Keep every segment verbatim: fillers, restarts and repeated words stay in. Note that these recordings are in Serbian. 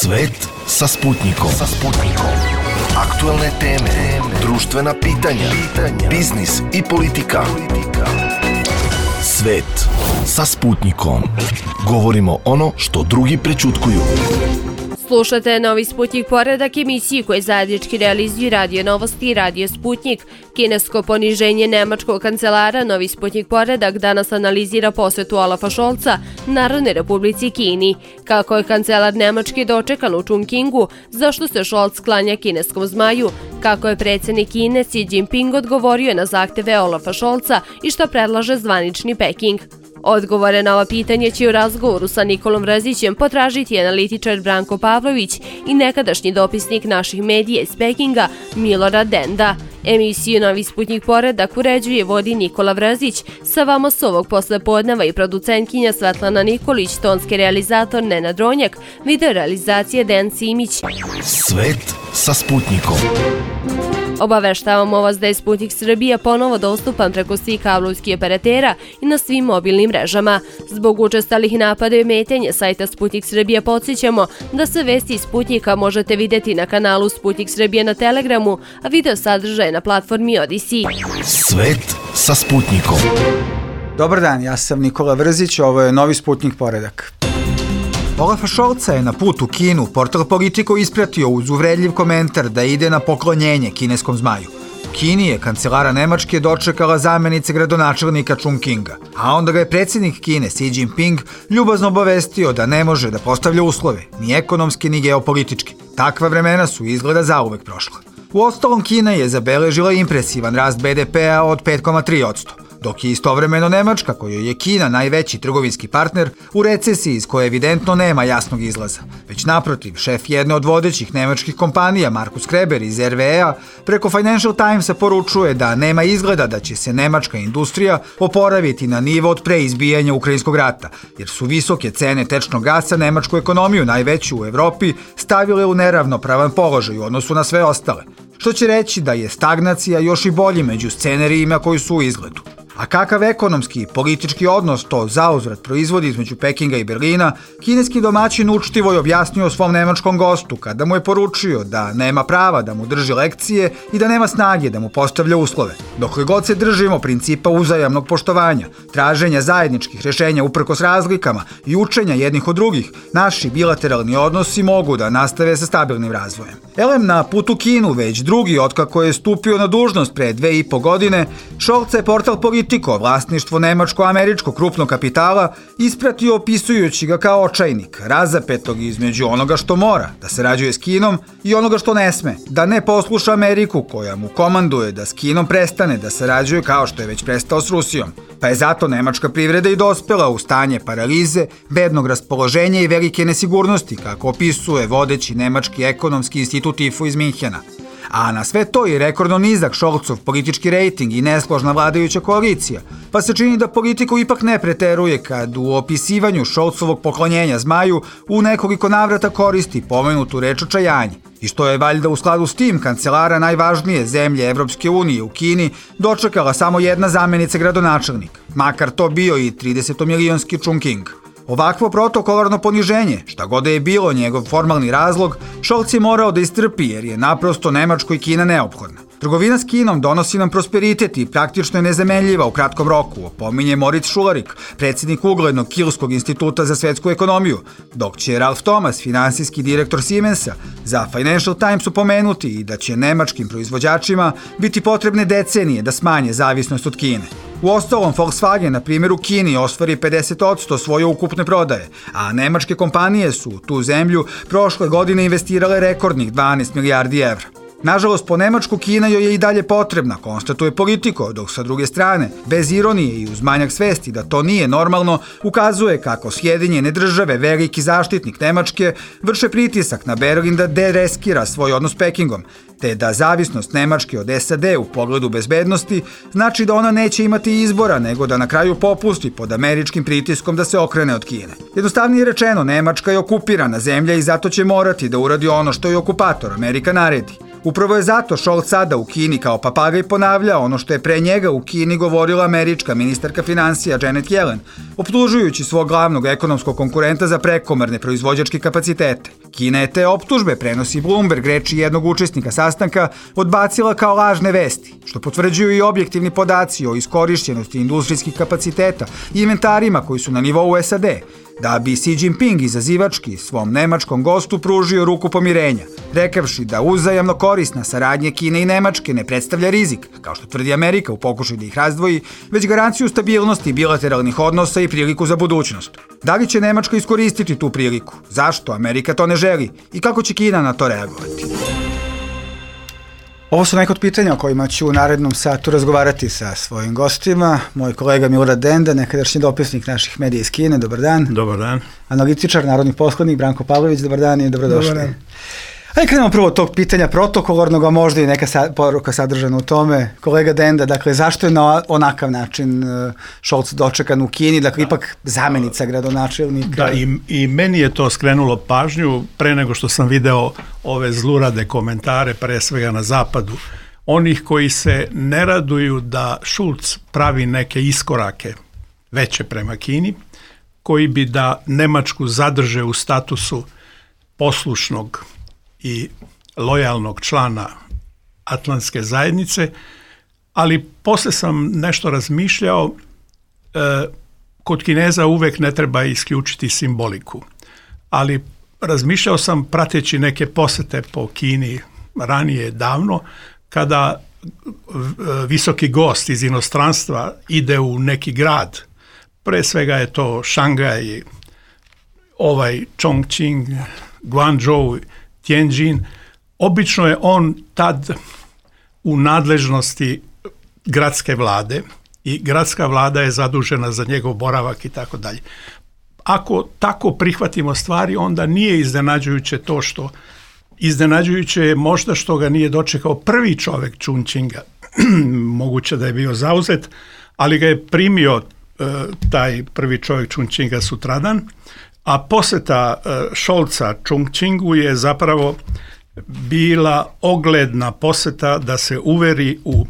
Svet sa Sputnikom. Sa Sputnikom. Aktuelne teme, društvena pitanja, pitanja, biznis i politika. Svet sa Sputnikom. Govorimo ono što drugi prećutkuju. Slušate Novi Sputnik poredak, emisiji koje zajednički realizuju Radio Novosti i Radio Sputnik. Kinesko poniženje nemačkog kancelara Novi Sputnik poredak danas analizira posjetu Olafa Scholza Narodnoj Republici Kini. Kako je kancelar Nemački dočekan u Chongqingu, zašto se Scholz klanja kineskom zmaju, kako je predsjednik Kine Xi Jinping odgovorio na zahteve Olafa Scholza i šta predlaže zvanični Peking. Odgovore na ova pitanja će u razgovoru sa Nikolom Vrzićem potražiti analitičar Branko Pavlović i nekadašnji dopisnik naših medija iz Pekinga Milorad Denda. Emisiju Novi Sputnik poredak uređuje vodi Nikola Vrzić, sa vama s ovog poslepodneva i producentkinja Svetlana Nikolić, tonski realizator Nenad Ronjak, video realizacije Dejan Simić. Svet sa Sputnikom. Obaveštavamo vas da je Sputnik Srbija ponovo dostupan preko svih kablovskih operatera i na svim mobilnim mrežama. Zbog učestalih napada i ometanja sajta Sputnik Srbija podsjećamo da sve vesti iz Sputnika možete vidjeti na kanalu Sputnik Srbija na Telegramu, a video sadržaje na platformi Odyssey. Svet sa Sputnikom. Dobar dan, ja sam Nikola Vrzić, ovo je Novi Sputnik poredak. Olafa Scholza je na put u Kinu portal Politico ispratio uz uvredljiv komentar da ide na poklonjenje kineskom zmaju. U Kini je kancelara Nemačke dočekala zamenica gradonačelnika Chongqinga, a onda ga je predsjednik Kine Xi Jinping ljubazno obavestio da ne može da postavlja uslove, ni ekonomski ni geopolitički. Takva vremena su izgleda zauvek prošla. Uostalom, Kina je zabeležila impresivan rast be de pe-a od pet zarez tri posto. Dok je istovremeno Nemačka, kojoj je Kina najveći trgovinski partner, u recesiji iz koje evidentno nema jasnog izlaza. Već naprotiv, šef jedne od vodećih nemačkih kompanija, Markus Kreber iz er ve a, preko Financial Timesa poručuje da nema izgleda da će se nemačka industrija oporaviti na nivo od pre izbijanja Ukrajinskog rata, jer su visoke cene tečnog gasa nemačku ekonomiju, najveću u Evropi, stavile u neravnopravan položaj u odnosu na sve ostale. Što će reći da je stagnacija još i bolji među scenarijima koji su u izgledu. A kakav ekonomski i politički odnos to zauzvrat proizvodi između Pekinga i Berlina, kineski domaćin učtivo je objasnio svom nemačkom gostu kada mu je poručio da nema prava da mu drži lekcije i da nema snage da mu postavlja uslove. Dokle god se držimo principa uzajamnog poštovanja, traženja zajedničkih rješenja uprkos razlikama i učenja jednih od drugih, naši bilateralni odnosi mogu da nastave sa stabilnim razvojem. Elem na putu Kinu, već drugi otkako je stupio na dužnost pre dve i po godine, Scholza je portal Politico, vlasništvo nemačko-američkog krupnog kapitala, ispratio opisujući ga kao očajnik, razapetog između onoga što mora, da sarađuje s Kinom, i onoga što ne sme, da ne posluša Ameriku koja mu komanduje da s Kinom prestane da sarađuje kao što je već prestao s Rusijom. Pa je zato nemačka privreda i dospela u stanje paralize, bednog raspoloženja i velike nesigurnosti, kako opisuje vodeći nemački ekonomski institut I F O iz Minhena. A na sve to i rekordno nizak Scholzov politički rejting i nesložna vladajuća koalicija, pa se čini da Politico ipak ne preteruje kad u opisivanju Scholzovog poklonjenja zmaju u nekoliko navrata koristi pomenutu reč očajanje. I što je valjda u skladu s tim kancelara najvažnije zemlje Evropske unije u Kini dočekala samo jedna zamenica gradonačelnika, makar to bio i tridesetomilionski Chongqing. Ovakvo protokolarno poniženje, šta god je bilo njegov formalni razlog, Scholz je morao da istrpi jer je naprosto Nemačkoj Kina neophodna. Trgovina s Kinom donosi nam prosperitet i praktično je nezamenljiva u kratkom roku, opominje Moritz Šularik, predsjednik uglednog Kilskog instituta za svetsku ekonomiju, dok će Ralf Thomas, finansijski direktor Siemensa, za Financial Times upomenuti i da će nemačkim proizvođačima biti potrebne decenije da smanje zavisnost od Kine. Uostalom, Volkswagen, na primjer, u Kini ostvari pedeset posto svoje ukupne prodaje, a nemačke kompanije su u tu zemlju prošle godine investirale rekordnih dvanaest milijardi evra. Nažalost, po Nemačku Kina joj je i dalje potrebna, konstatuje Politico, dok sa druge strane, bez ironije i uz manjak svesti da to nije normalno, ukazuje kako Sjedinjene države, veliki zaštitnik Nemačke, vrše pritisak na Berlin da dereskira svoj odnos s Pekingom, te da zavisnost Nemačke od es a de u pogledu bezbednosti znači da ona neće imati izbora nego da na kraju popusti pod američkim pritiskom da se okrene od Kine. Jednostavnije rečeno, Nemačka je okupirana zemlja i zato će morati da uradi ono što je okupator Amerika naredi. Upravo je zato Scholz sada u Kini kao papagaj ponavljao ono što je pre njega u Kini govorila američka ministarka financija Janet Yellen, optužujući svog glavnog ekonomskog konkurenta za prekomerne proizvođačke kapacitete. Kina je te optužbe, prenosi Bloomberg, reči jednog učesnika sastanka, odbacila kao lažne vesti, što potvrđuju i objektivni podaci o iskorišćenosti industrijskih kapaciteta i inventarima koji su na nivou S A D, da bi Xi Jinping izazivački svom nemačkom gostu pružio ruku pomirenja, rekavši da uzajamno korisna saradnja Kine i Nemačke ne predstavlja rizik, kao što tvrdi Amerika u pokušaju da ih razdvoji, već garanciju stabilnosti bilateralnih odnosa i priliku za budućnost. Da li će Nemačka iskoristiti tu priliku? Zašto Amerika to ne želi? I kako će Kina na to reagovati? Ovo su neka od pitanja o kojima ću u narednom satu razgovarati sa svojim gostima. Moj kolega Milorad Denda, nekadašnji dopisnik naših medija iz Kine, dobar dan. Dobar dan. Analitičar, narodni poslanik Branko Pavlović, dobar dan i dobrodošli. Dobar dan. Ajde krenemo prvo od tog pitanja protokolarnog, a možda i neka sa, poruka sadržana u tome. Kolega Denda, dakle, zašto je na onakav način uh, Scholz dočekan u Kini, dakle, da. Ipak zamenica gradonačelnika? Da, i, i meni je to skrenulo pažnju pre nego što sam video ove zlurade komentare, pre svega na zapadu, onih koji se ne raduju da Scholz pravi neke iskorake veće prema Kini, koji bi da Nemačku zadrže u statusu poslušnog i lojalnog člana Atlantske zajednice, ali posle sam nešto razmišljao, e, kod Kineza uvek ne treba isključiti simboliku, ali razmišljao sam prateći neke posete po Kini ranije davno, kada visoki gost iz inostranstva ide u neki grad, pre svega je to Šangaj, ovaj Chongqing, Guangzhou, Tianjin, obično je on tad u nadležnosti gradske vlade i gradska vlada je zadužena za njegov boravak i tako dalje. Ako tako prihvatimo stvari, onda nije iznenađujuće to što, iznenađujuće je možda što ga nije dočekao prvi čovek Chongqinga, moguće da je bio zauzet, ali ga je primio e, taj prvi čovjek Chongqinga sutradan, a poseta Scholza Chongqingu je zapravo bila ogledna poseta da se uveri u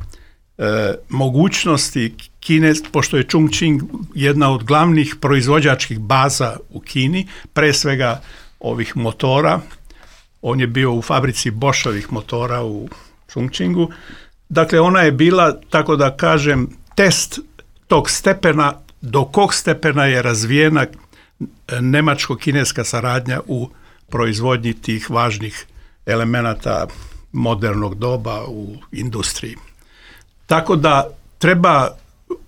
e, mogućnosti Kine, pošto je Chongqing jedna od glavnih proizvođačkih baza u Kini, pre svega ovih motora. On je bio u fabrici Boschovih motora u Chongqingu. Dakle, ona je bila, tako da kažem, test tog stepena, do kog stepena je razvijena nemačko-kineska saradnja u proizvodnji tih važnih elemenata modernog doba u industriji. Tako da treba,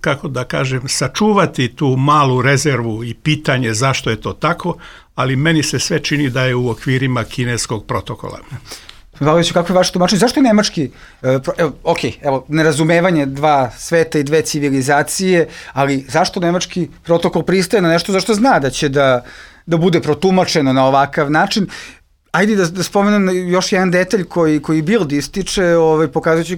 kako da kažem, sačuvati tu malu rezervu i pitanje zašto je to tako, ali meni se sve čini da je u okvirima kineskog protokola. Valoviću, kako je vaše tumačenje? Zašto je nemački, evo, ok, evo, nerazumevanje dva sveta i dve civilizacije, ali zašto nemački protokol pristaje na nešto zašto zna da će da, da bude protumačeno na ovakav način? Ajde da, da spomenem još jedan detalj koji, koji Bild ističe, ovaj, pokazujući,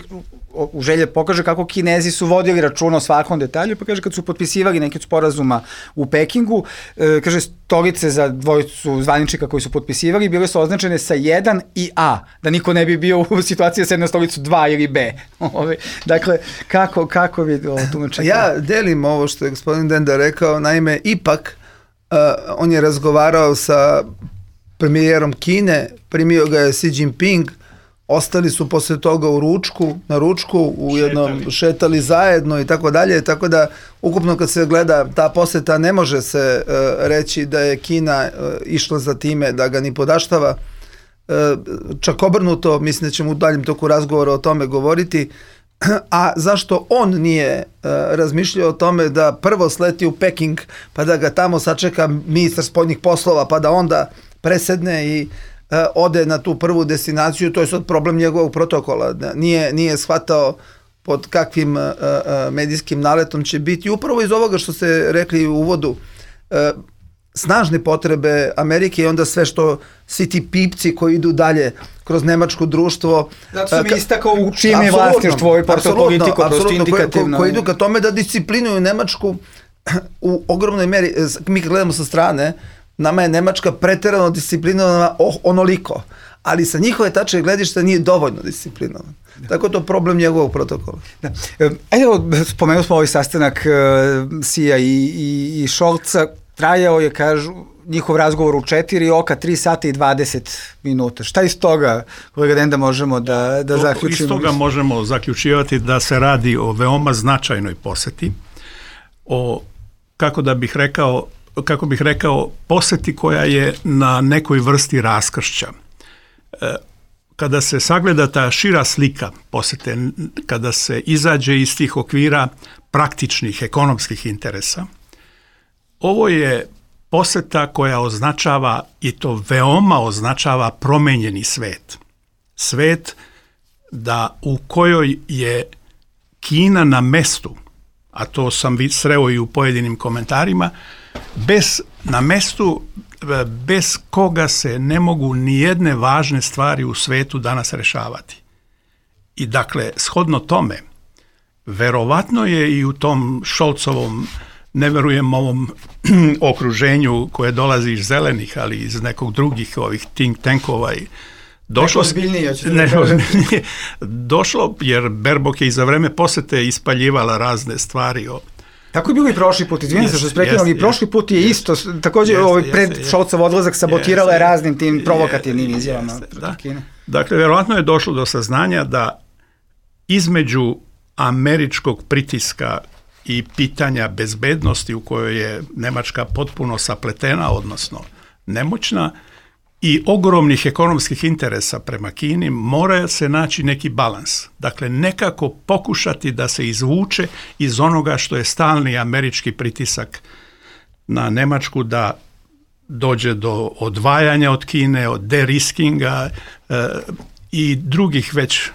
u želje pokaže kako Kinezi su vodili računa o svakom detalju, pa kaže kad su potpisivali neke sporazuma u Pekingu, e, kaže stolice za dvojicu zvaničnika koji su potpisivali bile su označene sa jedan i A, da niko ne bi bio u situaciji da sedne na stolicu dva ili B. Ove, dakle, kako, kako vi ovo tumačite? Ja delim ovo što je gospodin Denda rekao, naime, ipak uh, on je razgovarao sa premijerom Kine, primio ga je Xi Jinping, ostali su posle toga u ručku, na ručku, u jednom šetali, šetali zajedno i tako dalje, tako da ukupno kad se gleda ta poseta ne može se uh, reći da je Kina uh, išla za time da ga ni podaštava. Uh, čak obrnuto, mislim da ćemo u daljem toku razgovora o tome govoriti. A zašto on nije uh, razmišljao o tome da prvo sleti u Peking, pa da ga tamo sačeka ministar spoljnih poslova, pa da onda presedne i uh, ode na tu prvu destinaciju, to je sad problem njegovog protokola. Nije, nije shvatao pod kakvim uh, uh, medijskim naletom će biti. Upravo iz ovoga što ste rekli u uvodu, uh, snažne potrebe Amerike i onda sve što svi ti pipci koji idu dalje kroz nemačko društvo. Zato sam uh, istakao u čim je vlastištvo i portopolitiko, prosto indikativno. Koji idu ka tome da disciplinuju Nemačku u ogromnoj meri. Mi kad gledamo sa strane, nama je Nemačka preterano disciplinovana onoliko, ali sa njihove tačke gledišta nije dovoljno disciplinovan. Da. Tako je to problem njegovog protokola. Da. Ajde, spomenuli smo ovaj sastanak Sija i, i, i Šolca, trajao je, kažu, njihov razgovor u četiri oka, tri sata i dvadeset minuta. Šta iz toga, kolega Denda, možemo da, da zaključimo? Iz toga možemo zaključivati da se radi o veoma značajnoj poseti, o, kako da bih rekao, kako bih rekao, poseti koja je na nekoj vrsti raskršća. Kada se sagleda ta šira slika posete, kada se izađe iz tih okvira praktičnih ekonomskih interesa, ovo je poseta koja označava, i to veoma označava, promenjeni svet. Svet da u kojoj je Kina na mestu, a to sam sreo i u pojedinim komentarima, bez, na mestu bez koga se ne mogu ni jedne važne stvari u svetu danas rešavati. I dakle, shodno tome, verovatno je i u tom Šolcovom, ne verujem ovom okruženju koje dolazi iz zelenih, ali iz nekog drugih ovih think tankova i došlo, ozbiljnije, ne, ozbiljnije, došlo, jer Baerbock je i za vreme posete ispaljivala razne stvari o. Tako je bilo i prošli put, izvijem se što se prekinuo, ali prošli put je isto, također jest, ovaj pred jest, Šolcov odlazak sabotirala je raznim tim provokativnim jest, izjavama jest, protiv da. Kine. Dakle, verovatno je došlo do saznanja da između američkog pritiska i pitanja bezbednosti u kojoj je Nemačka potpuno sapletena, odnosno nemoćna, i ogromnih ekonomskih interesa prema Kini, mora se naći neki balans. Dakle, nekako pokušati da se izvuče iz onoga što je stalni američki pritisak na Nemačku da dođe do odvajanja od Kine, od deriskinga e, i drugih već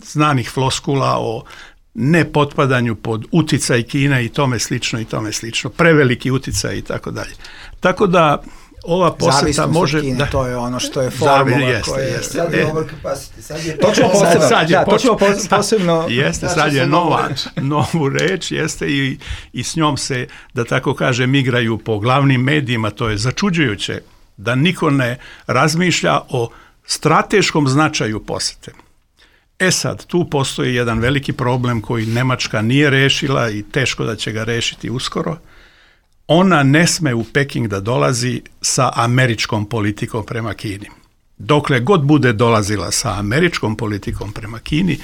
znanih floskula o nepotpadanju pod uticaj Kine i tome slično i tome slično, preveliki uticaj i tako dalje. Tako da ova poseta može Kine, da, to je ono što je formula jeste, koja je jeste, sad je e, overcapacity, sad je to ćemo posebno, sad je da, to ćemo poč- posebno jeste, znači sad je sam nova, novu reč. novu reč, jeste i, i s njom se, da tako kažem, igraju po glavnim medijima. To je začuđujuće da niko ne razmišlja o strateškom značaju posete. E sad, tu postoji jedan veliki problem koji Nemačka nije rešila i teško da će ga rešiti uskoro. Ona ne sme u Peking da dolazi sa američkom politikom prema Kini. Dokle god bude dolazila sa američkom politikom prema Kini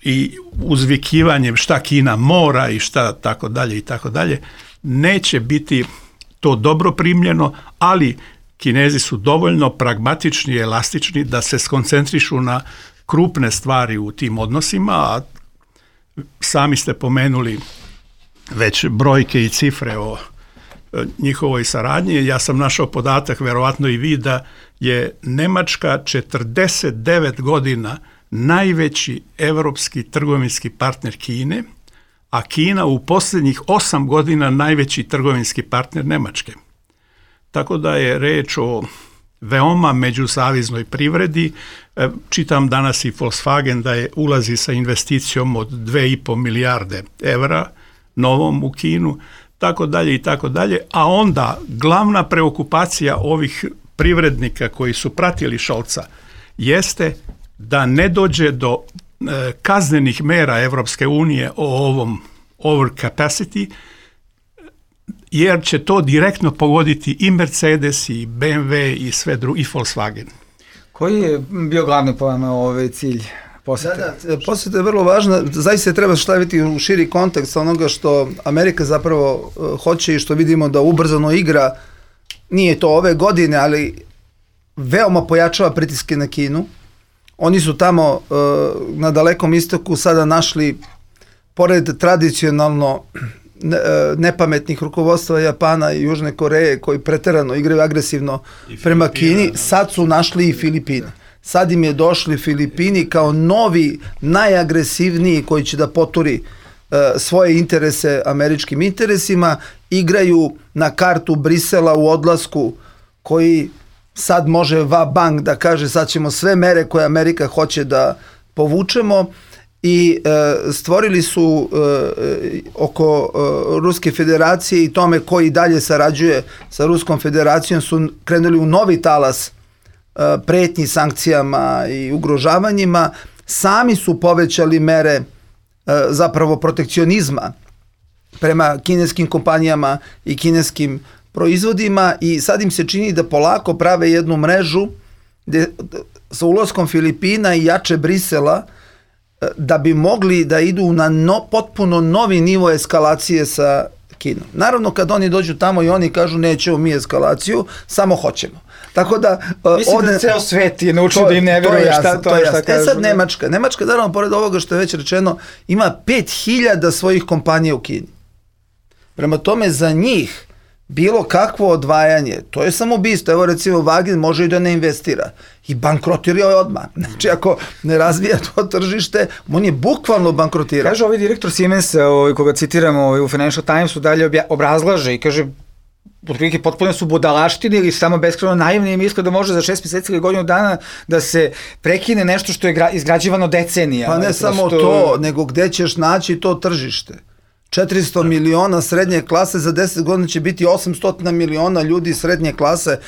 i uzvikivanjem šta Kina mora i šta tako dalje i tako dalje, neće biti to dobro primljeno, ali Kinezi su dovoljno pragmatični i elastični da se skoncentrišu na krupne stvari u tim odnosima, a sami ste pomenuli već brojke i cifre o njihovoj saradnji. Ja sam našao podatak, verovatno i vi, da je Nemačka četrdeset devet godina najveći evropski trgovinski partner Kine, a Kina u posljednjih osam godina najveći trgovinski partner Nemačke. Tako da je reč o veoma međusaviznoj privredi. Čitam danas i Volkswagen da je ulazi sa investicijom od dve i po milijarde evra novom u Kinu, tako dalje i tako dalje, a onda glavna preokupacija ovih privrednika koji su pratili Šolca jeste da ne dođe do e, kaznenih mera Evropske unije o ovom overcapacity, jer će to direktno pogoditi i Mercedes i B M W i sve drugi, i Volkswagen. Koji je bio glavni po vama ovaj cilj posete? Da, da, poseta je vrlo važna, zaista treba staviti u širi kontekst onoga što Amerika zapravo uh, hoće i što vidimo da ubrzano igra, nije to ove godine, ali veoma pojačava pritiske na Kinu. Oni su tamo uh, na Dalekom istoku sada našli, pored tradicionalno ne, uh, nepametnih rukovodstva Japana i Južne Koreje koji preterano igraju agresivno prema Kini, sad su našli i Filipine. Sad im je došli Filipini kao novi, najagresivniji koji će da poturi uh, svoje interese američkim interesima, igraju na kartu Brisela u odlasku koji sad može va bank da kaže sad ćemo sve mere koje Amerika hoće da povučemo i e, stvorili su e, oko e, Ruske federacije i tome koji dalje sarađuje sa Ruskom federacijom su krenuli u novi talas e, pretnji sankcijama i ugrožavanjima, sami su povećali mere e, zapravo protekcionizma prema kineskim kompanijama i kineskim proizvodima i sad im se čini da polako prave jednu mrežu gde, sa ulaskom Filipina i jače Brisela da bi mogli da idu na no, potpuno novi nivo eskalacije sa Kinom. Naravno, kad oni dođu tamo i oni kažu nećemo mi eskalaciju, samo hoćemo. Tako da... Mislim ovde, da ceo svet je naučio da im ne veruje šta to je šta kažu. E sad Nemačka. Nemačka, naravno, pored ovoga što je već rečeno, ima pet hiljada svojih kompanija u Kini. Prema tome, za njih bilo kakvo odvajanje, to je samo ubistvo. Evo recimo Wagner može i da ne investira i bankrotirao je odmah. Znači ako ne razvija to tržište, on je bukvalno bankrotirao. Kaže ovaj direktor Siemensa, ovaj, koga citiramo ovaj, u Financial Timesu, dalje obja, obrazlaže i kaže otprilike potpuno su budalaštine ili samo beskrajno naivni i misle da može za šest mjeseci ili godinu dana da se prekine nešto što je gra, izgrađivano decenijama. Pa ne prosto... samo to, nego gde ćeš naći to tržište. četiristo miliona srednje klase, za deset godina će biti osamsto miliona ljudi srednje klase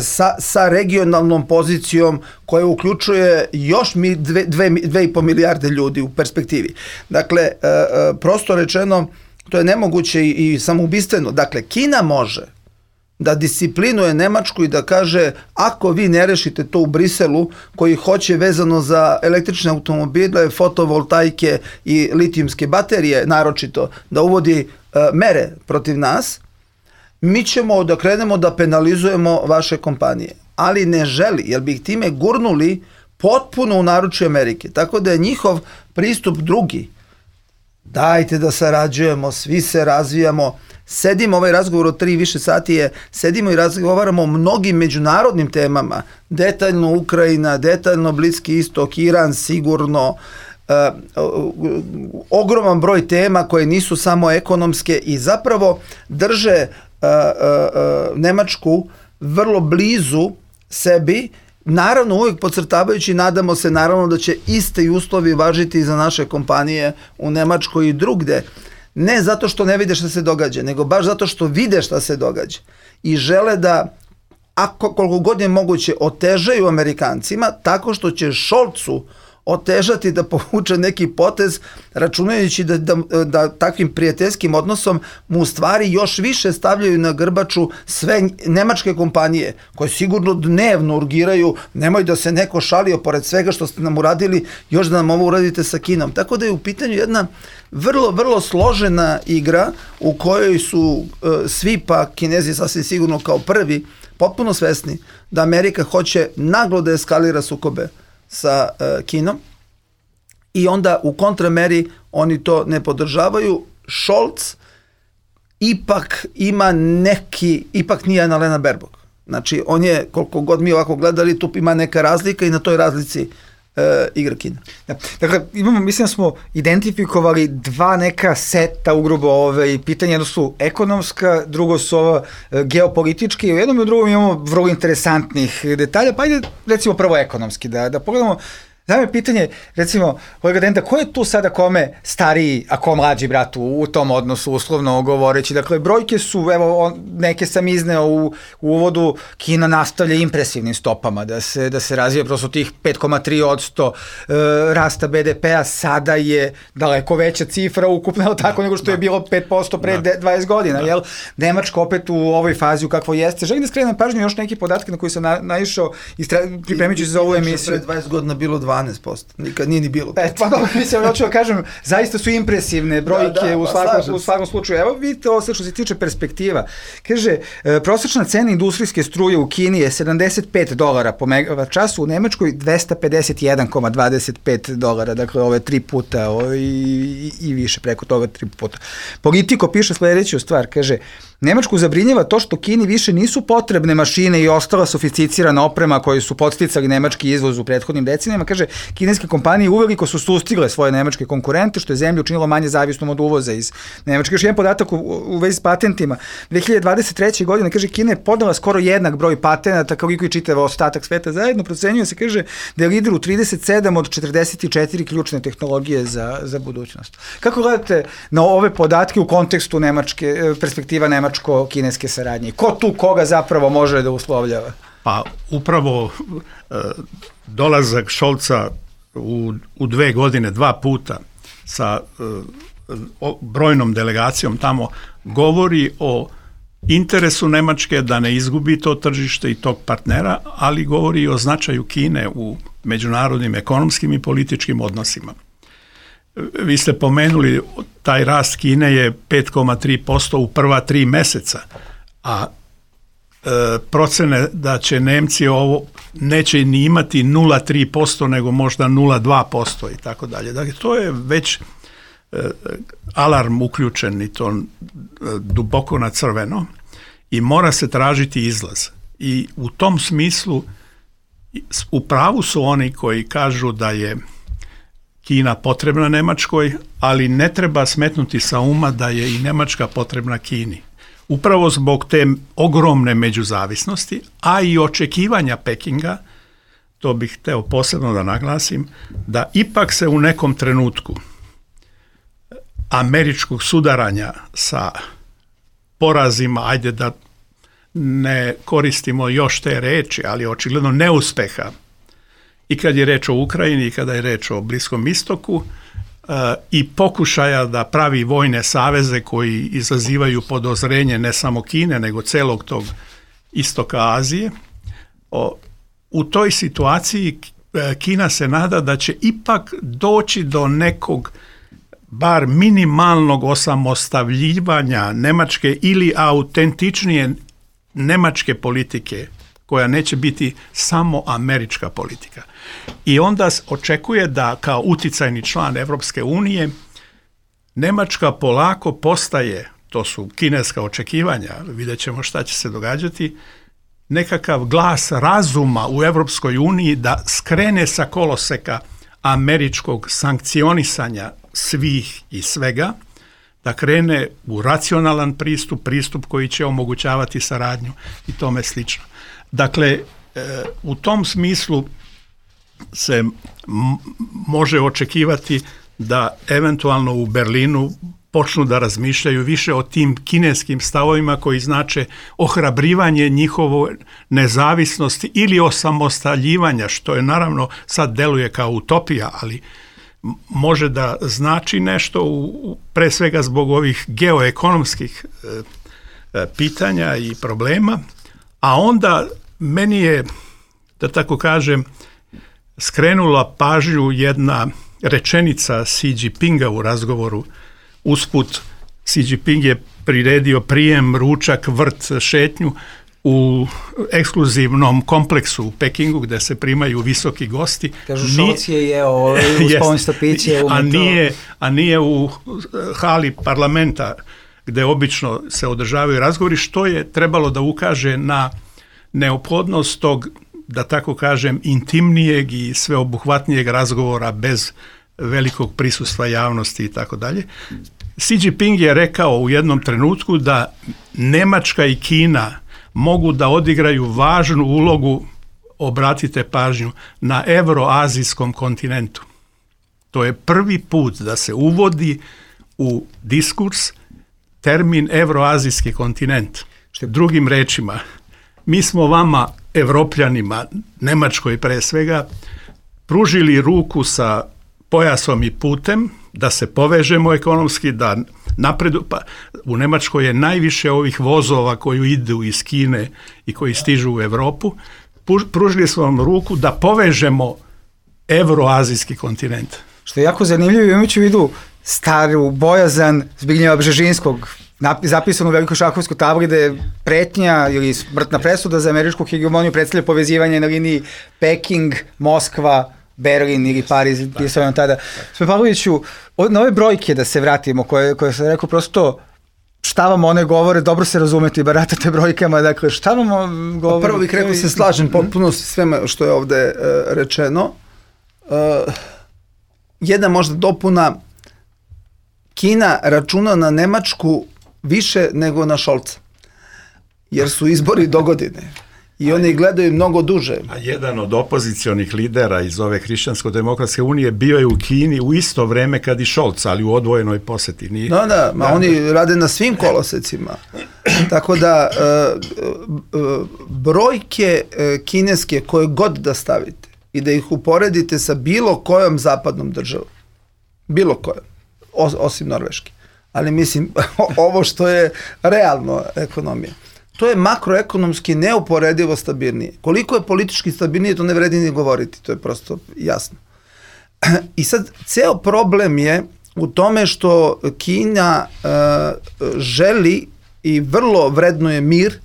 sa, sa regionalnom pozicijom koja uključuje još mi dve, dve, dve i po milijarde ljudi u perspektivi. Dakle, e, e, prosto rečeno, to je nemoguće i, i samoubistveno. Dakle, Kina može da disciplinuje Nemačku i da kaže ako vi ne rešite to u Briselu koji hoće vezano za električne automobile, fotovoltaike i litijumske baterije naročito da uvodi e, mere protiv nas, mi ćemo da krenemo da penalizujemo vaše kompanije. Ali ne želi, jer bi ih time gurnuli potpuno u naručje Amerike. Tako da je njihov pristup drugi. Dajte da sarađujemo, svi se razvijamo. Sedimo, ovaj razgovor od tri više sati je, sedimo i razgovaramo o mnogim međunarodnim temama, detaljno Ukrajina, detaljno Bliski istok, Iran sigurno, e, ogroman broj tema koje nisu samo ekonomske i zapravo drže e, e, Nemačku vrlo blizu sebi, naravno uvijek podcrtavajući, nadamo se naravno da će iste uslovi važiti za naše kompanije u Nemačkoj i drugde. Ne zato što ne vide šta se događa, nego baš zato što vide šta se događa. I žele da, ako koliko god je moguće, otežaju Amerikancima tako što će Scholzu otežati da povuče neki potez, računajući da, da, da takvim prijateljskim odnosom mu u stvari još više stavljaju na grbaču sve nemačke kompanije koje sigurno dnevno urgiraju, nemoj da se neko šalio pored svega što ste nam uradili, još da nam ovo uradite sa Kinom. Tako da je u pitanju jedna vrlo, vrlo složena igra u kojoj su e, svi, pa Kinezi sasvim sigurno kao prvi, potpuno svesni da Amerika hoće naglo da eskalira sukobe sa uh, Kinom i onda u kontrameri oni to ne podržavaju. Scholz ipak ima neki, ipak nije Annalena Baerbock. Znači on je, koliko god mi ovako gledali, tu ima neka razlika i na toj razlici uh, igra Kina. Da. Dakle, imamo, mislim da smo identifikovali dva neka seta ugrubo ove pitanja, jedno su ekonomska, drugo su ova uh, geopolitički i u jednom i u drugom imamo vrlo interesantnih detalja, pa ajde recimo prvo ekonomski, da, da pogledamo. Znam je pitanje, recimo, kolega Denda, ko je tu sada kome stariji, a ko mlađi brat u, u tom odnosu, uslovno govoreći? Dakle, brojke su, evo, on, neke sam izneo u, u uvodu, Kina nastavlja impresivnim stopama, da se, da se razvija prosto tih pet zarez tri posto e, rasta be de pe a, sada je daleko veća cifra ukupna, ali tako, da, nego što da. je bilo pet posto pre da. dvadeset godina, da. jel? Nemačka opet u ovoj fazi u kakvoj jeste. Želim da skrenem pažnju još neki podatke na koji sam na, naišao pripremići se za ovu emisiju. Pre dvadeset godina bilo dvanaest posto, nikad nije ni bilo. E, pa dobro, mislim, hoću da kažem, zaista su impresivne brojke da, da, u, svakom, pa u svakom slučaju. Evo vidite ovo sve što se tiče perspektiva. Kaže, e, prosječna cena industrijske struje u Kini je sedamdeset pet dolara po megavat času, u Nemačkoj dvesta pedeset jedan zarez dvadeset pet dolara, dakle ove tri puta o, i, i više preko toga tri puta. Politiko piše sledeću stvar, kaže, Nemačku zabrinjava to što Kini više nisu potrebne mašine i ostala sofisticirana oprema koje su podsticali nemački izvoz u prethodnim decenijama. Kaže, kineske kompanije uveliko su sustigle svoje nemačke konkurente, što je zemlju učinilo manje zavisnom od uvoza iz Nemačke. Još jedan podatak u, u vezi s patentima. dve hiljade dvadeset treće. godine, kaže, Kina je podala skoro jednak broj patenata, koliko i čitav ostatak sveta zajedno. Procenjuje se, kaže, da je lider u trideset sedam od četrdeset četiri ključne tehnologije za, za budućnost. Kako gledate na ove podatke u kontekstu nemačke, perspektiva nemačko-kineske saradnje? Ko tu koga zapravo može da uslovljava? Pa upravo e, dolazak Scholza u, u dve godine, dva puta sa e, o, brojnom delegacijom tamo govori o interesu Nemačke da ne izgubi to tržište i tog partnera, ali govori i o značaju Kine u međunarodnim ekonomskim i političkim odnosima. Vi ste pomenuli, taj rast Kine je pet zarez tri posto u prva tri meseca, a e, procene da će Nemci ovo neće ni imati nula zarez tri posto nego možda nula zarez dva posto i tako dalje. Dakle, to je već e, alarm uključen i to e, duboko na crveno i mora se tražiti izlaz. I u tom smislu u pravu su oni koji kažu da je Kina potrebna Nemačkoj, ali ne treba smetnuti sa uma da je i Nemačka potrebna Kini. Upravo zbog te ogromne međuzavisnosti, a i očekivanja Pekinga, to bih hteo posebno da naglasim, da ipak se u nekom trenutku američkog sudaranja sa porazima, ajde da ne koristimo još te reči, ali očigledno neuspeha, i kad je reč o Ukrajini i kada je reč o Bliskom istoku uh, i pokušaja da pravi vojne saveze koji izazivaju podozrenje ne samo Kine, nego celog tog istoka Azije. O, u toj situaciji Kina se nada da će ipak doći do nekog bar minimalnog osamostavljivanja Nemačke ili autentičnije nemačke politike, koja neće biti samo američka politika. I onda očekuje da kao uticajni član Evropske unije Nemačka polako postaje, to su kineska očekivanja, vidjet ćemo šta će se događati, nekakav glas razuma u Evropskoj uniji da skrene sa koloseka američkog sankcionisanja svih i svega, da krene u racionalan pristup, pristup koji će omogućavati saradnju i tome slično. Dakle, u tom smislu se m- može očekivati da eventualno u Berlinu počnu da razmišljaju više o tim kineskim stavovima koji znače ohrabrivanje njihove nezavisnosti ili osamostaljivanja, što je naravno sad deluje kao utopija, ali može da znači nešto u, pre svega zbog ovih geoekonomskih e, pitanja i problema, a onda meni je, da tako kažem, skrenula pažnju jedna rečenica Xi Jinpinga u razgovoru. Usput, Xi Jinping je priredio prijem, ručak, vrt, šetnju u ekskluzivnom kompleksu u Pekingu gde se primaju visoki gosti. Kažu, Scholz je jeo uz pomesto piće. A nije, a nije u hali parlamenta gde obično se održavaju razgovori, što je trebalo da ukaže na neophodnost tog, da tako kažem, intimnijeg i sveobuhvatnijeg razgovora bez velikog prisustva javnosti i tako dalje. Xi Jinping je rekao u jednom trenutku da Nemačka i Kina mogu da odigraju važnu ulogu, obratite pažnju, na evroazijskom kontinentu. To je prvi put da se uvodi u diskurs termin evroazijski kontinent. Što drugim rečima, mi smo vama, Evropljanima, Nemačkoj pre svega, pružili ruku sa pojasom i putem da se povežemo ekonomski, da napredu, pa u Nemačkoj je najviše ovih vozova koji idu iz Kine i koji stižu u Evropu. Pružili smo vam ruku da povežemo evroazijski kontinent. Što je jako zanimljivo, imajući u vidu staru bojazan Zbignjeva Bžežinskog, zapisano u velikoj šahovskoj tabli da je pretnja ili smrtna presuda za američku hegemoniju predstavlja povezivanje na liniji Peking, Moskva, Berlin ili Pariz, pisao nam tada. Sve Pavloviću, na ove brojke da se vratimo, koje, koje sam rekao, prosto šta vam one govore, dobro se razumete i baratate brojkama, dakle šta vam govore? Pa prvo bih rekao se slažem potpuno s sveme što je ovde uh, rečeno. Uh, jedna možda dopuna, Kina računa na Nemačku više nego na Šolca, jer su izbori dogodine. I oni gledaju mnogo duže. A jedan od opozicionih lidera iz ove Hrišćansko-demokratske unije bio je u Kini u isto vreme kad i Šolc, ali u odvojenoj poseti. Nije... Da, da, ma da, oni da. rade na svim kolosecima. Tako da, uh, uh, brojke uh, kineske koje god da stavite i da ih uporedite sa bilo kojom zapadnom državom, bilo kojom, os, osim Norveške, ali mislim, ovo što je realno ekonomija, to je makroekonomski neuporedivo stabilnije. Koliko je politički stabilnije, to ne vredi ni govoriti, to je prosto jasno. I sad, ceo problem je u tome što Kina uh, želi i vrlo vrednuje mir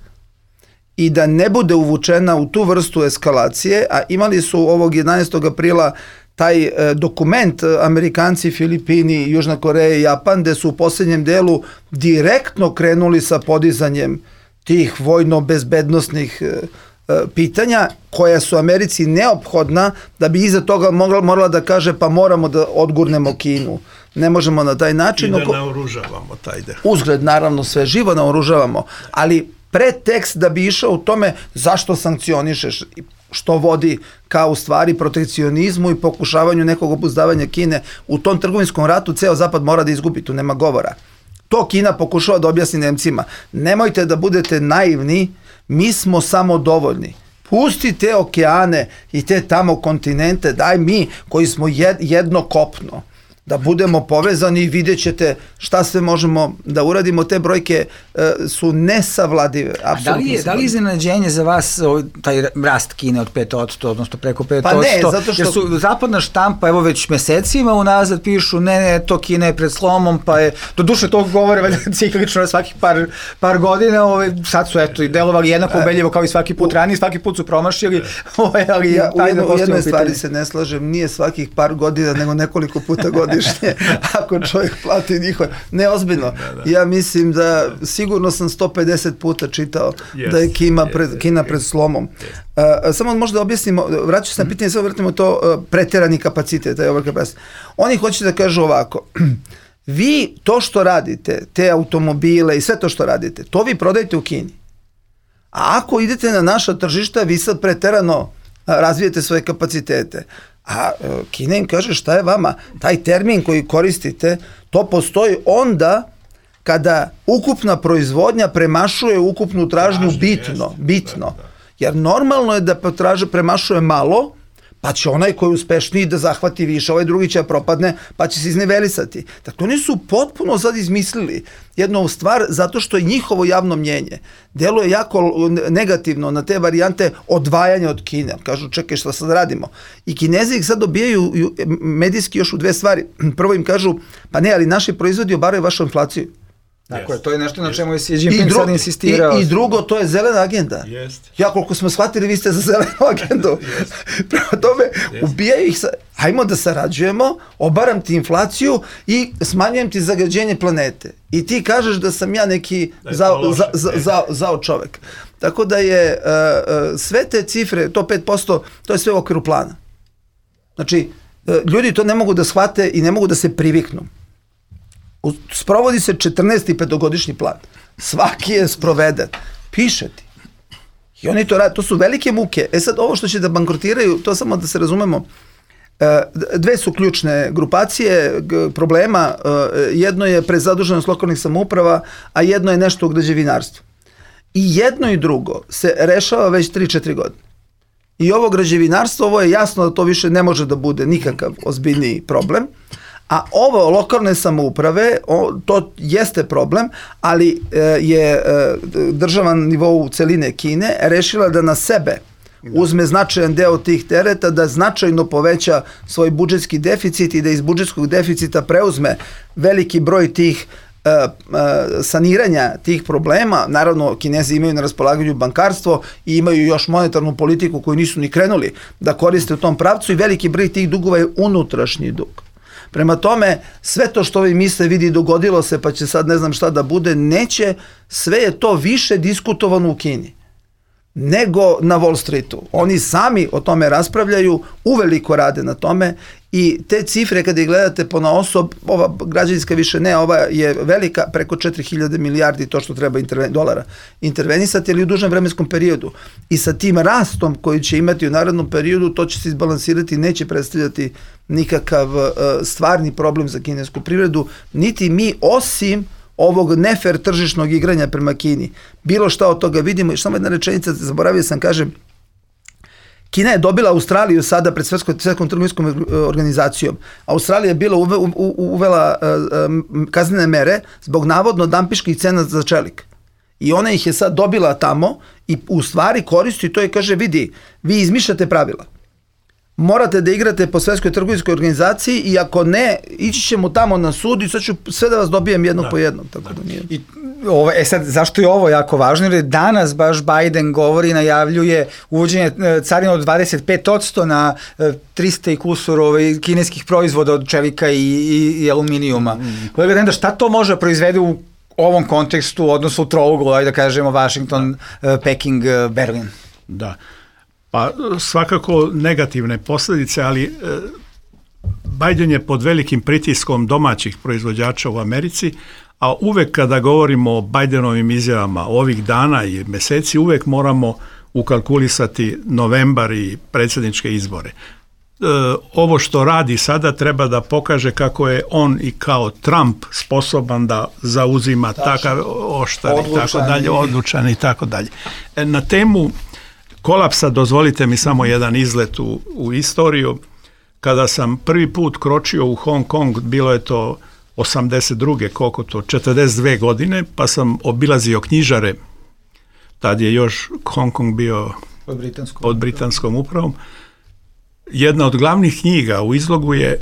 i da ne bude uvučena u tu vrstu eskalacije, a imali su ovog jedanaestog aprila taj uh, dokument uh, Amerikanci, Filipini, Južna Koreja i Japan, gde su u posljednjem delu direktno krenuli sa podizanjem tih vojno-bezbednostnih e, e, pitanja koja su Americi neophodna da bi iza toga mogla, morala da kaže pa moramo da odgurnemo Kinu. Ne možemo na taj način. I da naoružavamo taj deo. Uzgled, naravno, sve živo naoružavamo, ali pretekst da bi išao u tome zašto sankcionišeš, što vodi kao u stvari protekcionizmu i pokušavanju nekog obuzdavanja Kine. U tom trgovinskom ratu ceo Zapad mora da izgubi, tu nema govora. To Kina pokušava da objasni Nemcima. Nemojte da budete naivni, mi smo samo dovoljni. Pusti te okeane i te tamo kontinente, daj mi koji smo jedno kopno, da budemo povezani i vidjet ćete šta sve možemo da uradimo. Te brojke e, su nesavladive. A da li je, da li je iznenađenje za vas taj rast Kine od pet posto, odnosno preko pet posto? Pa ne, zato što... Jer su zapadna štampa, evo već mesecima unazad pišu, ne, ne, to Kina je pred slomom, pa je, do duše to govore valjda ciklično svakih par, par godina, ove, sad su eto i delovali jednako ubedljivo kao i svaki put ranije, svaki put su promašili. Ove, ali ja u jedno, jednoj stvari se ne slažem, nije svakih par godina, nego nekoliko puta godišnje. Ako čovjek plati njihove, ne ozbiljno, da, da. Ja mislim da sigurno sam sto pedeset puta čitao yes, da je Kina pred, yes, Kina pred slomom. Yes. Uh, samo možda objasnimo, vraću se na pitanje, samo vratimo to uh, preterani kapacitet, taj overcapacity. Oni hoće da kažu ovako, vi to što radite, te automobile i sve to što radite, to vi prodajete u Kini. A ako idete na naša tržišta, vi sad preterano razvijete svoje kapacitete. A Kina im kaže šta je vama, taj termin koji koristite, to postoji onda kada ukupna proizvodnja premašuje ukupnu tražnju bitno, bitno. Jer normalno je da potraže premašuje malo, pa će onaj koji je uspešniji da zahvati više, ovaj drugi će propadne, pa će se iznevelisati. Dakle, oni su potpuno sad izmislili jednu stvar zato što je njihovo javno mnjenje deluje jako negativno na te varijante odvajanja od Kine. Kažu, čekaj, šta sad radimo? I Kinezi ih sad dobijaju medijski još u dve stvari. Prvo im kažu, pa ne, ali naši proizvodi obaraju vašu inflaciju. Dakle, yes. To je nešto na čemu je Xi Jinping sad insistirao. I, I drugo, to je zelena agenda. Yes. Ja, koliko smo shvatili, vi ste za zelenu agendu. Yes. Prema tome, yes. ubijaju ih, sa, hajmo da sarađujemo, obaram ti inflaciju i smanjujem ti zagađenje planete. I ti kažeš da sam ja neki zao, za, za, za, zao čovek. Tako da je uh, uh, sve te cifre, to pet posto, to je sve u okviru plana. Znači, uh, ljudi to ne mogu da shvate i ne mogu da se priviknu. Sprovodi se četrnaesti petogodišnji plan. Svaki je sproveden. Piše ti. I oni to rade. To su velike muke. E sad, ovo što će da bankrotiraju, to samo da se razumemo, dve su ključne grupacije problema. Jedno je prezaduženost lokalnih samouprava, a jedno je nešto u građevinarstvu. I jedno i drugo se rešava već tri četiri godine. I ovo građevinarstvo, ovo je jasno da to više ne može da bude nikakav ozbiljniji problem. A ovo lokalne samouprave, o, to jeste problem, ali e, je e, država na nivou celine Kine rešila da na sebe uzme značajan deo tih tereta, da značajno poveća svoj budžetski deficit i da iz budžetskog deficita preuzme veliki broj tih e, e, saniranja tih problema. Naravno, Kinezi imaju na raspolaganju bankarstvo i imaju još monetarnu politiku koju nisu ni krenuli da koriste u tom pravcu i veliki broj tih dugova je unutrašnji dug. Prema tome, sve to što vi misle, vidi, dogodilo se, pa će sad ne znam šta da bude, neće, sve je to više diskutovano u Kini nego na Wall Streetu. Oni sami o tome raspravljaju, uveliko rade na tome i te cifre kada ih gledate ponaosob, ova građevinska više ne, ova je velika, preko četiri hiljade milijardi to što treba interven, dolara intervenisati, ali u dužem vremenskom periodu. I sa tim rastom koji će imati u narednom periodu, to će se izbalansirati, neće predstavljati nikakav uh, stvarni problem za kinesku privredu, niti mi, osim ovog nefer tržišnog igranja prema Kini. Bilo šta od toga vidimo. I samo jedna rečenica, zaboravio sam, kažem, Kina je dobila Australiju sada pred svetskom trgovinskom organizacijom. Australija je bila uve, u, uvela uh, kaznene mere zbog navodno dampiških cena za čelik. I ona ih je sad dobila tamo i u stvari koristi to i kaže, vidi, vi izmišljate pravila. Morate da igrate po svetskoj trgovinskoj organizaciji i ako ne, ići ćemo tamo na sud i sad ću sve da vas dobijem jednog da. po jednom. Tako da. Da nije. I ovo, e sad, zašto je ovo jako važno? Jer danas baš Biden govori, najavljuje uvođenje carina od dvadeset pet posto na trista i kusur ovaj, kineskih proizvoda od čelika i, i, i aluminijuma. Mm. Kolega Denda, šta to može proizvede u ovom kontekstu, odnosno u trouglu, da kažemo Washington, da. Peking, Berlin? Da. Pa svakako negativne posljedice, ali e, Biden je pod velikim pritiskom domaćih proizvođača u Americi, a uvek kada govorimo o Bidenovim izjavama ovih dana i meseci, uvek moramo ukalkulisati novembar i predsjedničke izbore. E, ovo što radi sada treba da pokaže kako je on i kao Trump sposoban da zauzima Tačno. takav oštar i tako dalje, odlučan i tako dalje. E, na temu kolapsa, dozvolite mi samo jedan izlet u, u istoriju. Kada sam prvi put kročio u Hong Kong, bilo je to osamdeset druge, koliko to, četrdeset dve godine, pa sam obilazio knjižare, tad je još Hong Kong bio pod britanskom, pod britanskom upravom. Jedna od glavnih knjiga u izlogu je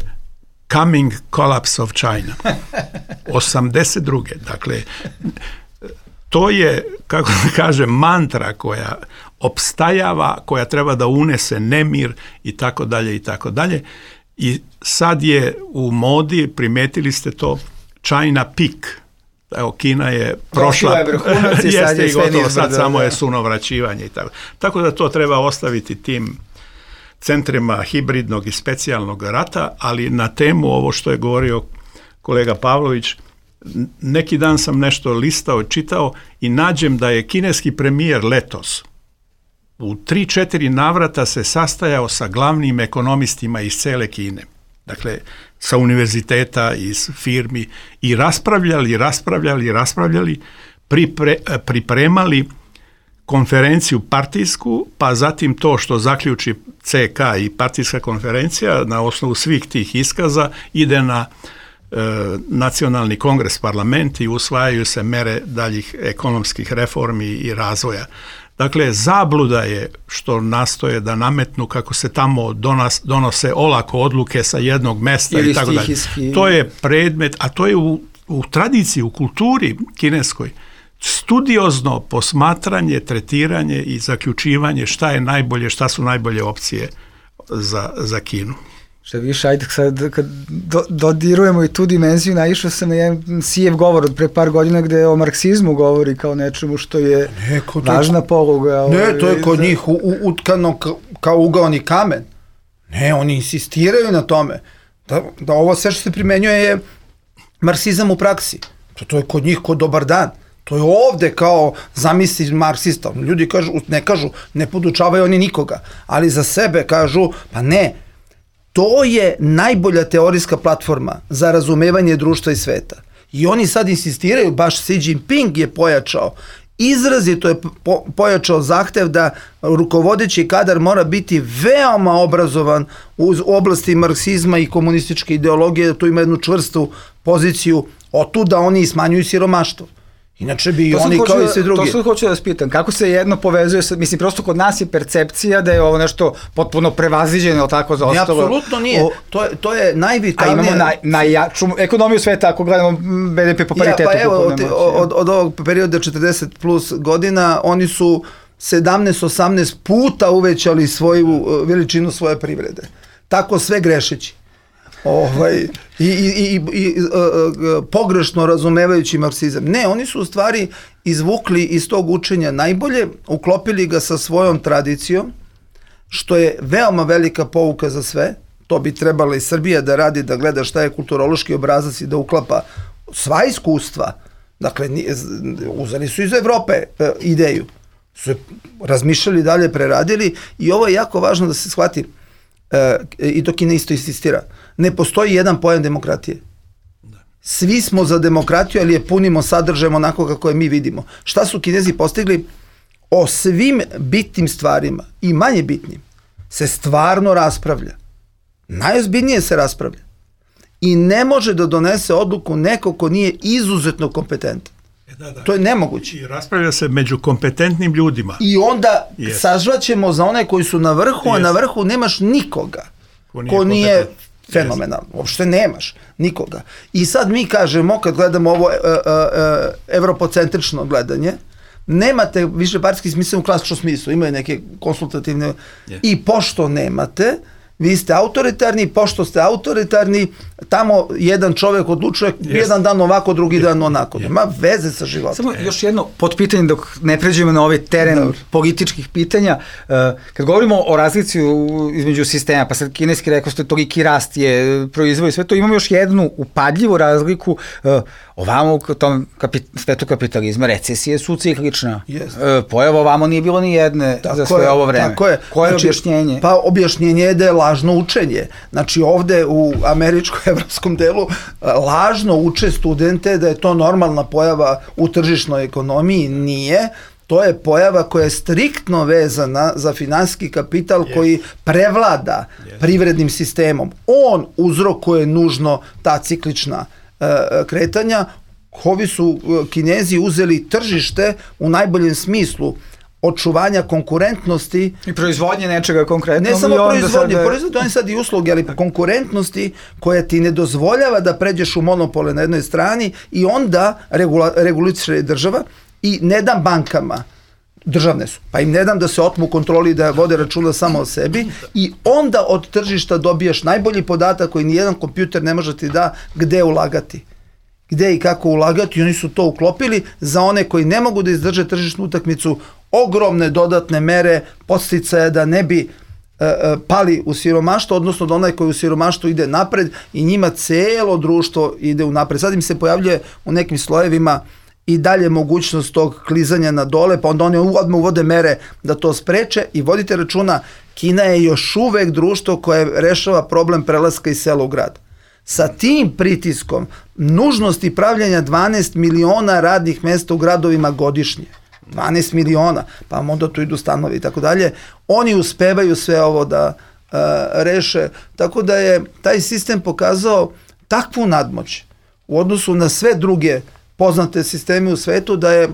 Coming Collapse of China. osamdeset druge. Dakle, to je, kako da kažem, mantra koja opstajava, koja treba da unese nemir i tako dalje i tako dalje. I sad je u modi, primetili ste to, China peak. Evo, Kina je prošla, je vrhunac i sad je i gotovo, nizbrdo, sad samo da. je sunovraćivanje i tako. Tako da to treba ostaviti tim centrima hibridnog i specijalnog rata, ali na temu ovo što je govorio kolega Pavlović, neki dan sam nešto listao, čitao i nađem da je kineski premijer letos u tri četiri navrata se sastajao sa glavnim ekonomistima iz cele Kine. Dakle, sa univerziteta, iz firmi i raspravljali, raspravljali, raspravljali, pripre, pripremali konferenciju partijsku, pa zatim to što zaključi C K i partijska konferencija na osnovu svih tih iskaza ide na e, nacionalni kongres, parlament i usvajaju se mere daljih ekonomskih reformi i razvoja. Dakle, zabluda je što nastoje da nametnu kako se tamo donas, donose olako odluke sa jednog mesta ili i tako dalje. To je predmet, a to je u, u tradiciji, u kulturi kineskoj, studiozno posmatranje, tretiranje i zaključivanje šta je najbolje, šta su najbolje opcije za, za Kinu. Šta više, ajde sad kad do, dodirujemo i tu dimenziju, naišao sam na jedan Sijev govor od pre par godina gde o marksizmu govori kao nečemu što je ne, važna to, poluga. Ne, ovaj, to je kod za... njih u, u, utkano ka, kao ugaoni kamen. Ne, oni insistiraju na tome da, da ovo sve što se primenjuje je marksizam u praksi. To, to je kod njih kod dobar dan. To je ovde kao zamisli marksista. Ljudi kažu, ne kažu, ne podučavaju oni nikoga, ali za sebe kažu, pa ne, to je najbolja teorijska platforma za razumevanje društva i sveta. I oni sad insistiraju, baš Xi Jinping je pojačao, izrazito je po, pojačao zahtev da rukovodeći kadar mora biti veoma obrazovan u oblasti marksizma i komunističke ideologije, da tu ima jednu čvrstu poziciju, otuda oni smanjuju siromaštvo. Inače bi i oni kao i sve drugi. To sad hoću da vas pitam, kako se jedno povezuje sa, mislim, prosto kod nas je percepcija da je ovo nešto potpuno prevaziđeno, ili tako za ostalo. Ne, apsolutno nije. O, to, je, to je najvitalnije. A imamo naj, najjaču ekonomiju sveta, ako gledamo B D P po paritetu. Ja, pa evo, od, od, od ovog perioda četrdeset plus godina, oni su sedamnaest osamnaest puta uvećali svoju veličinu svoje privrede. Tako sve grešeći. ovaj, i, i, i, i uh, pogrešno razumevajući marksizam. Ne, oni su u stvari izvukli iz tog učenja najbolje, uklopili ga sa svojom tradicijom, što je veoma velika pouka za sve. To bi trebala i Srbija da radi, da gleda šta je kulturološki obrazac i da uklapa sva iskustva. Dakle, uzeli su iz Evrope e, ideju, su razmišljali dalje, preradili i ovo je jako važno da se shvati e, i to Kina isto insistira. Ne postoji jedan pojam demokratije. Svi smo za demokratiju, ali je punimo sadržajem onako kako je mi vidimo. Šta su Kinezi postigli? O svim bitnim stvarima i manje bitnim se stvarno raspravlja. Najozbiljnije se raspravlja. I ne može da donese odluku neko ko nije izuzetno kompetentan. E, da, da. To je nemoguće. I raspravlja se među kompetentnim ljudima. I onda yes. sažvaćemo za one koji su na vrhu, yes. a na vrhu nemaš nikoga ko nije, ko nije fenomenalno. Yes. Uopšte nemaš nikoga. I sad mi kažemo, kad gledamo ovo uh, uh, uh, evropocentrično gledanje, nemate više partijski smisao u klasičnom smislu, imaju neke konsultativne yes. i pošto nemate, vi ste autoritarni, pošto ste autoritarni, tamo jedan čovjek odlučuje yes. jedan dan ovako, drugi yes. dan onako. Nema yes. veze sa životom. Samo još jedno potpitanje dok ne pređemo na ovaj teren Dobre. političkih pitanja. Kad govorimo o razlici između sistema, pa sad kineski rekao ste toliki rast je proizvoj, sve to imamo još jednu upadljivu razliku. Ovamo u tom kapit, svetu kapitalizma recesije su ciklična. Yes. Pojava ovamo nije bilo ni jedne tako za svoje je, ovo vreme. Tako je. Koje znači, je objašnjenje? Pa objašnjenje je da je lažno učenje. Znači ovde u američko-evropskom delu lažno uče studente da je to normalna pojava u tržišnoj ekonomiji. Nije. To je pojava koja je striktno vezana za finansijski kapital yes. koji prevlada yes. privrednim sistemom. On uzrokuje nužno ta ciklična kretanja. Ovi su Kinezi uzeli tržište u najboljem smislu očuvanja konkurentnosti i proizvodnje nečega konkretno. Ne samo proizvodnje, sada... proizvodnje, oni sad i usluge, ali konkurentnosti koja ti ne dozvoljava da pređeš u monopole na jednoj strani i onda regula, reguliše država i ne dam bankama, državne su, pa im ne dam da se otmu kontroli da vode računa samo o sebi i onda od tržišta dobijaš najbolji podatak koji nijedan kompjuter ne može ti da gde ulagati. Gde i kako ulagati i oni su to uklopili za one koji ne mogu da izdrže tržišnu utakmicu, ogromne dodatne mere podsticaja da ne bi e, e, pali u siromaštvo, odnosno da onaj koji u siromaštvu ide napred i njima celo društvo ide u napred. Sad im se pojavljuje u nekim slojevima i dalje mogućnost tog klizanja na dole, pa onda oni odmah uvode mere da to spreče i vodite računa, Kina je još uvek društvo koje rešava problem prelaska iz sela u grad. Sa tim pritiskom nužnosti pravljanja dvanaest miliona radnih mesta u gradovima godišnje, dvanaest miliona, pa onda tu idu stanovi i tako dalje, oni uspevaju sve ovo da uh, reše, tako da je taj sistem pokazao takvu nadmoć u odnosu na sve druge poznate sisteme u svetu da je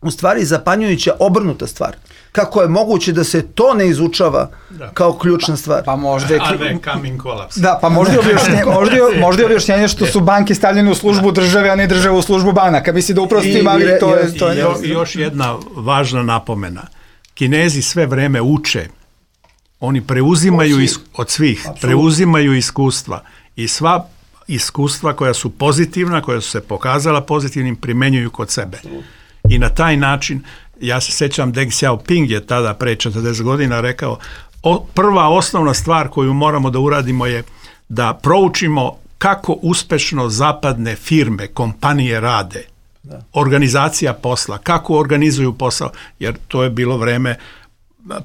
u stvari zapanjujuća obrnuta stvar. Kako je moguće da se to ne izučava da. kao ključna stvar? Pa, pa možda je... A ne coming collapse. Da, pa možda je objašnjenje, možda je, možda je objašnjenje što su banke stavljene u službu države, a ne država u službu banaka. Misli da upravo s tim, ali to je... To je... I još jedna važna napomena. Kinezi sve vreme uče. Oni preuzimaju is, od svih, Absolut. preuzimaju iskustva i sva iskustva koja su pozitivna, koja su se pokazala pozitivnim, primenjuju kod sebe. Absolut. I na taj način, ja se sećam, Deng Xiaoping je tada pre četrdeset godina rekao, o, prva osnovna stvar koju moramo da uradimo je da proučimo kako uspešno zapadne firme, kompanije rade, da. organizacija posla, kako organizuju posao, jer to je bilo vreme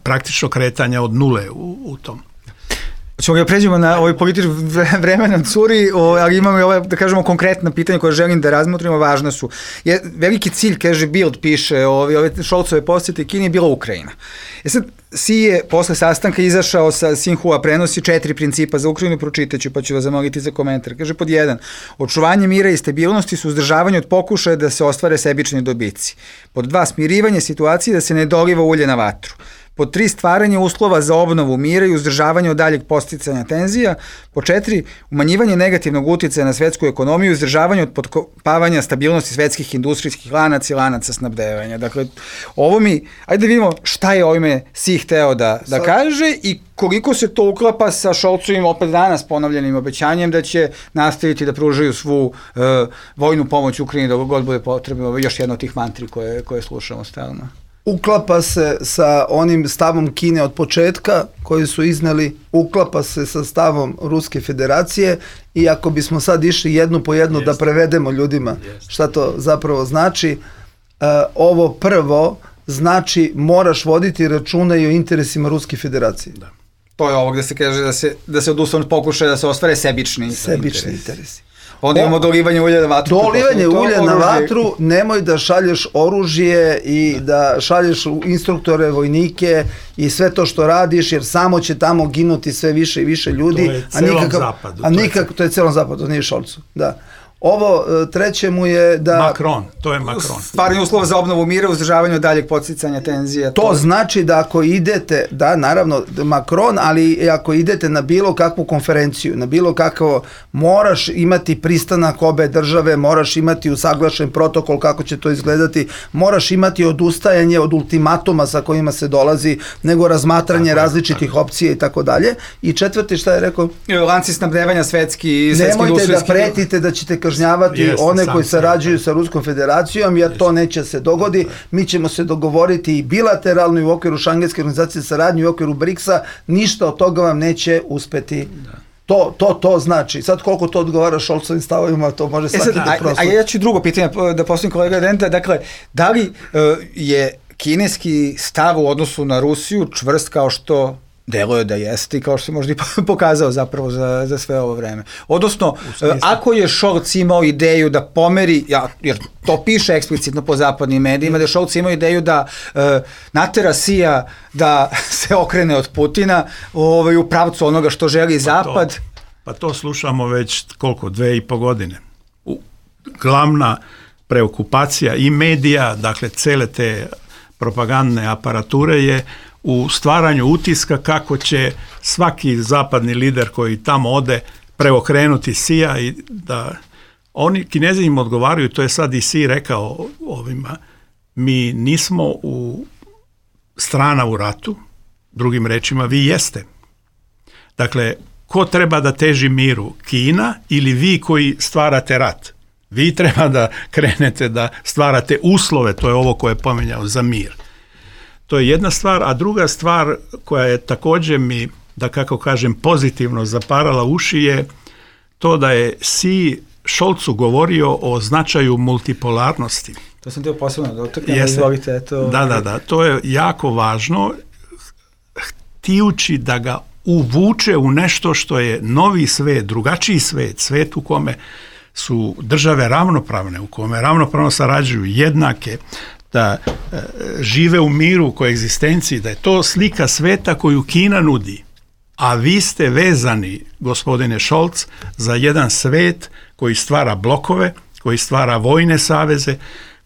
praktično kretanja od nule u, u tom. Ćemo ga pređemo na ovaj politički vremena curi, ali imamo i ove, da kažemo, konkretna pitanja koje želim da razmotrimo, važna su. Je, veliki cilj, kaže Bild, piše, ove, ove Šolcove posjete Kini je bila Ukrajina. E sad, Xi je posle sastanka izašao sa Sinhua, prenosi četiri principa za Ukrajinu, pročitaću pa ću vas zamoliti za komentar. Kaže pod jedan, očuvanje mira i stabilnosti su uzdržavanje od pokušaja da se ostvare sebični dobici. Pod dva, smirivanje situacije da se ne doliva ulje na vatru. Pod tri, stvaranje uslova za obnovu mira i uzdržavanje od daljeg posticanja tenzija. Pod četiri, umanjivanje negativnog uticaja na svetsku ekonomiju i uzdržavanje od potkopavanja stabilnosti svetskih industrijskih lanaca i lanaca snabdevanja. Dakle, ovo mi, ajde da vidimo šta je ovime si hteo da, da kaže i koliko se to uklapa sa Šolcovim opet danas ponovljenim obećanjem da će nastaviti da pružaju svu uh, vojnu pomoć Ukrajini dok god bude potrebno, još jedna od tih mantri koje, koje slušamo stalno. Uklapa se sa onim stavom Kine od početka koji su izneli, uklapa se sa stavom Ruske federacije i ako bismo sad išli jednu po jednu da prevedemo ljudima šta to zapravo znači, uh, ovo prvo znači moraš voditi računa i o interesima Ruske federacije. Da. To je ovo gde se kaže da se, da se odustane pokušaja da se ostvare sebični, sebični interesi. interesi. Onda imamo dolivanje ulja na vatru. Dolivanje ulja na vatru, nemoj da šalješ oružje i da šalješ instruktore, vojnike i sve to što radiš, jer samo će tamo ginuti sve više i više ljudi. To je celom zapadu. A nikako, to je celom zapadu, nije Šolcu, da. Ovo treće mu je da... Macron, to je Macron. Stvaranje uslova za obnovu mira, uzdržavanje od daljeg podsticanja tenzija. To, to znači da ako idete, da naravno Macron, ali ako idete na bilo kakvu konferenciju, na bilo kakvo, moraš imati pristanak obe države, moraš imati usaglašen protokol kako će to izgledati, moraš imati odustajanje od ultimatuma sa kojima se dolazi, nego razmatranje tako, različitih tako. opcija i tako dalje. I četvrti, šta je rekao? Lanci snabdevanja svetski i svetski Nemojte industrijski... da pretite da ćete kažnjavati Jeste, one koji sarađuju sa Ruskom federacijom, jer to neće se dogodi. Mi ćemo se dogovoriti i bilateralno i u okviru Šangenske organizacije saradnje i u okviru briksa, ništa od toga vam neće uspeti. Da. To, to, to znači. Sad koliko to odgovara Šolcovim stavovima, to može svaki da prosto. A, a ja ću drugo pitanje da postavim kolega Denta, dakle, da li uh, je kineski stav u odnosu na Rusiju čvrst kao što deluje da jeste i kao što se možda i pokazao zapravo za, za sve ovo vreme. Odnosno, ako je Šolc imao ideju da pomeri, ja, jer to piše eksplicitno po zapadnim medijima, da je Šolc imao ideju da uh, natera Sija da se okrene od Putina ovaj, u pravcu onoga što želi pa Zapad. To, pa to slušamo već koliko, dve i po godine. U, glavna preokupacija i medija, dakle cele te propagandne aparature je u stvaranju utiska kako će svaki zapadni lider koji tamo ode preokrenuti Sija i da oni, Kinezi im odgovaraju, to je sad i Si rekao ovima, mi nismo u strana u ratu, drugim rečima vi jeste. Dakle, ko treba da teži miru, Kina ili vi koji stvarate rat? Vi treba da krenete da stvarate uslove, to je ovo koje je pomenjao, za mir. To je jedna stvar, a druga stvar koja je također mi, da kako kažem, pozitivno zaparala uši je to da je Si Šolcu govorio o značaju multipolarnosti. To sam teo posebno da otaknem, izvolite. Eto. Da, da, da, to je jako važno, htijući da ga uvuče u nešto što je novi svet, drugačiji svet, svet u kome su države ravnopravne, u kome ravnopravno sarađuju, jednake, da e, žive u miru, u koegzistenciji, da je to slika sveta koju Kina nudi. A vi ste vezani, gospodine Šolc, za jedan svet koji stvara blokove, koji stvara vojne saveze,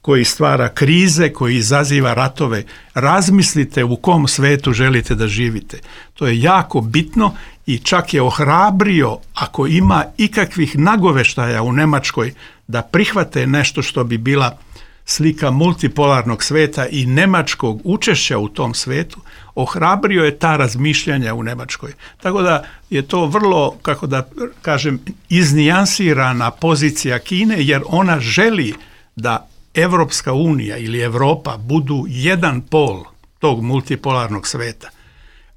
koji stvara krize, koji izaziva ratove. Razmislite u kom svetu želite da živite. To je jako bitno i čak je ohrabrio, ako ima ikakvih nagoveštaja u Nemačkoj, da prihvate nešto što bi bila slika multipolarnog sveta i nemačkog učešća u tom svetu, ohrabrio je ta razmišljanja u Nemačkoj. Tako da je to vrlo, kako da kažem, iznijansirana pozicija Kine, jer ona želi da Evropska unija ili Evropa budu jedan pol tog multipolarnog sveta.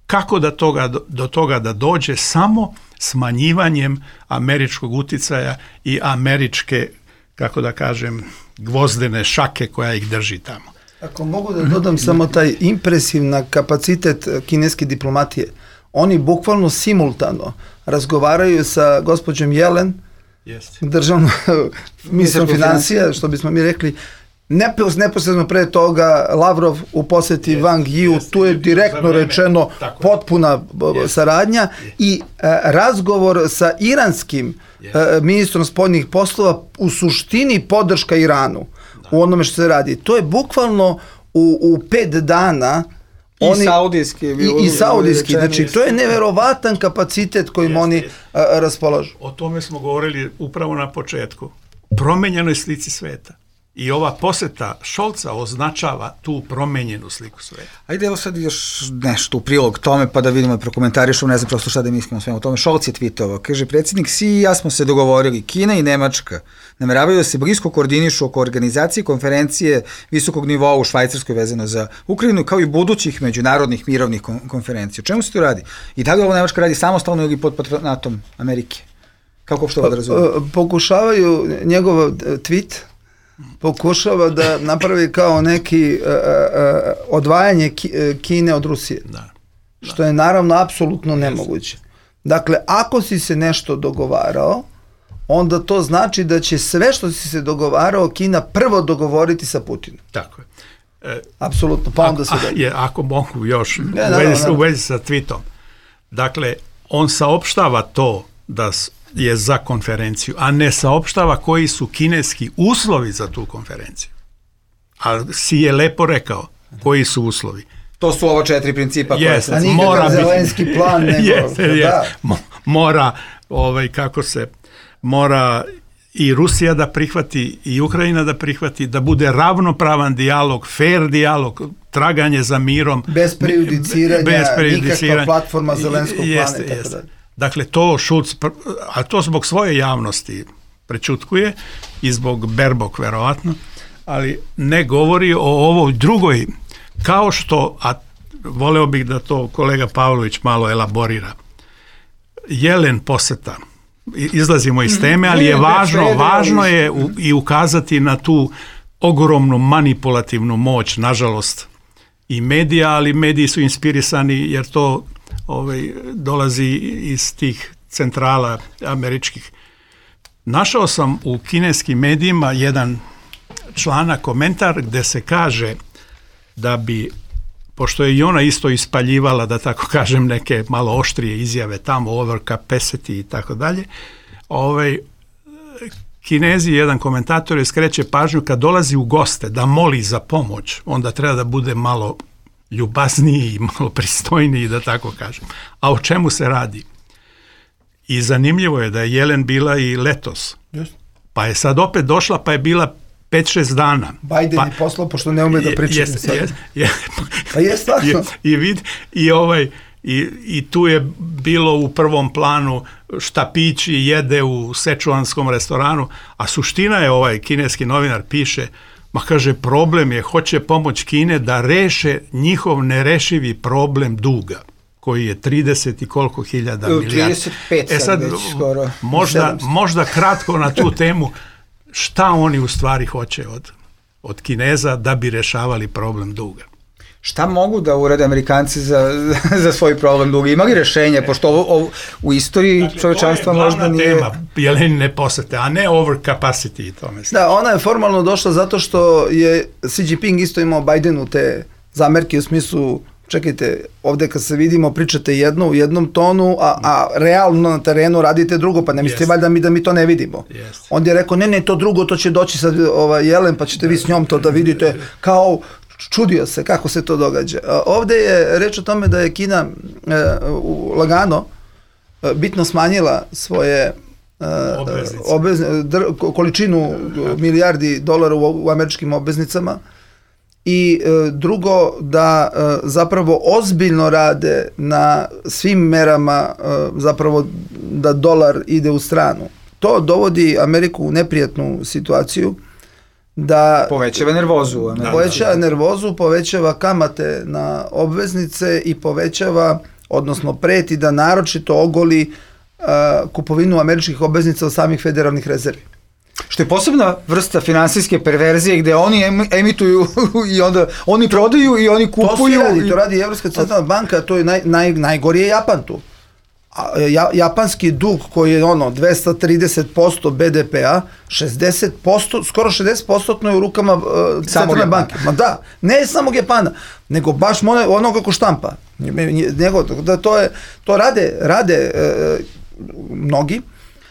Kako da toga, do toga da dođe? Samo smanjivanjem američkog uticaja i američke, kako da kažem, gvozdene šake koja ih drži tamo. Ako mogu da dodam samo taj impresivna kapacitet kineske diplomatije, oni bukvalno simultano razgovaraju sa gospođom Jelen, državnom ministrom financija, što bismo mi rekli, neposredno pre toga Lavrov u poseti yes, Wang Yiu, yes, tu je direktno rečeno potpuna yes, saradnja yes. i e, razgovor sa iranskim yes. e, ministrom spoljnih poslova u suštini podrška Iranu da. u onome što se radi. To je bukvalno u, u pet dana I saudijski. I, i saudijski, znači to je neverovatan kapacitet kojim jest, oni jest. A, raspolažu. O tome smo govorili upravo na početku. Promenjenoj slici sveta. I ova poseta Scholza označava tu promenjenu sliku sveta. Ajde, evo sad još nešto u prilog tome, pa da vidimo i prokomentarišemo, ne znam prosto šta da mislimo svema o tome. Scholz je tweetovao, kaže, predsjednik Xi i ja smo se dogovorili, Kina i Nemačka nameravaju da se blisko koordinišu oko organizacije konferencije visokog nivoa u Švajcarskoj vezano za Ukrajinu, kao i budućih međunarodnih mirovnih konferencija. O čemu se to radi? I da li ovo Nemačka radi samostalno ili pod patronatom Amerike? Kako što da razumije? Pokušavaju njegov tweet pokušava da napravi kao neki uh, uh, odvajanje Kine od Rusije. Da, da. Što je naravno apsolutno nemoguće. Dakle, ako si se nešto dogovarao, onda to znači da će sve što si se dogovarao Kina prvo dogovoriti sa Putinom. Tako je. E, apsolutno, pa onda se da je. Ako mogu još ne, u, vezi, u vezi sa tweetom. Dakle, on saopštava to da je za konferenciju, a ne saopštava koji su kineski uslovi za tu konferenciju. A Xi je lepo rekao koji su uslovi. To su ova četiri principa koje yes, se... Mora zelenski biti, plan nego... Yes, yes, da. Mora, ovaj, kako se, mora i Rusija da prihvati, i Ukrajina da prihvati, da bude ravnopravan dijalog, fair dijalog, traganje za mirom. Bez prejudiciranja, bez prejudiciranja, nikakva platforma zelenskog plana. Jeste, jeste. Dakle, to Scholz, a to zbog svoje javnosti prečutkuje i zbog Baerbock verovatno, ali ne govori o ovoj drugoj, kao što, a voleo bih da to kolega Pavlović malo elaborira. Jelen poseta, izlazimo iz teme, ali je važno, važno je u, i ukazati na tu ogromnu manipulativnu moć, nažalost, i medija, ali mediji su inspirisani jer to ovaj, dolazi iz tih centrala američkih. Našao sam u kineskim medijima jedan članak, komentar gde se kaže da bi, pošto je i ona isto ispaljivala, da tako kažem, neke malo oštrije izjave tamo, overcapacity i tako dalje, ovaj, Kinezi, jedan komentator je skreće pažnju kad dolazi u goste da moli za pomoć, onda treba da bude malo ljubazniji i malo pristojniji, da tako kažem. A o čemu se radi? I zanimljivo je da je Jelen bila i letos. Yes. Pa je sad opet došla, pa je bila pet šest dana. Biden pa, je poslao, pošto ne ume da priča. Jest, jest, jest, pa je stvarno. I, vid, i, ovaj, i, i tu je bilo u prvom planu šta pići jede u sečuanskom restoranu, a suština je, ovaj kineski novinar piše, ma kaže, problem je, hoće pomoć Kine da reše njihov nerešivi problem duga, koji je trideset i koliko hiljada milijardi. trideset pet e sad, već skoro. Možda, možda kratko na tu temu, šta oni u stvari hoće od, od Kineza da bi rešavali problem duga? Šta mogu da urade Amerikanci za, za svoj problem duga? Ima li rešenje, pošto ovo, ovo u istoriji dakle, čovječanstva možda nije... To je glavna tema, Jelenine posete, a ne overcapacity i tome. Da, ona je formalno došla zato što je Xi Jinping isto imao Bidenu te zamerke u smislu, čekajte, ovde kad se vidimo pričate jedno u jednom tonu, a, a realno na terenu radite drugo, pa ne mislite yes. valjda mi da mi to ne vidimo. Yes. On je rekao, ne, ne, to drugo, to će doći sad ova, Jelen, pa ćete vi s njom to da vidite, kao... Čudio se kako se to događa. Ovde je reč o tome da je Kina e, lagano e, bitno smanjila svoje e, obvezne, dr, količinu milijardi dolara u, u američkim obveznicama i e, drugo da e, zapravo ozbiljno rade na svim merama e, zapravo da dolar ide u stranu. To dovodi Ameriku u neprijatnu situaciju da povećava nervozu, da, povećava da, da. nervozu, povećava kamate na obveznice i povećava, odnosno preti da naročito ogoli uh, kupovinu američkih obveznica od samih federalnih rezervi. Što je posebna vrsta finansijske perverzije gde oni emituju i onda oni prodaju i oni kupuju. To, radi, to radi Evropska centralna banka, to je naj, naj, najgori je Japan tu. Ja, japanski dug koji je ono dvesta trideset posto be de pe-a, šezdeset posto, skoro šezdeset posto je u rukama uh, centralne banke. Ma da, ne samog Japana, nego baš ono kako štampa. Nego, da to, je, to rade, rade uh, mnogi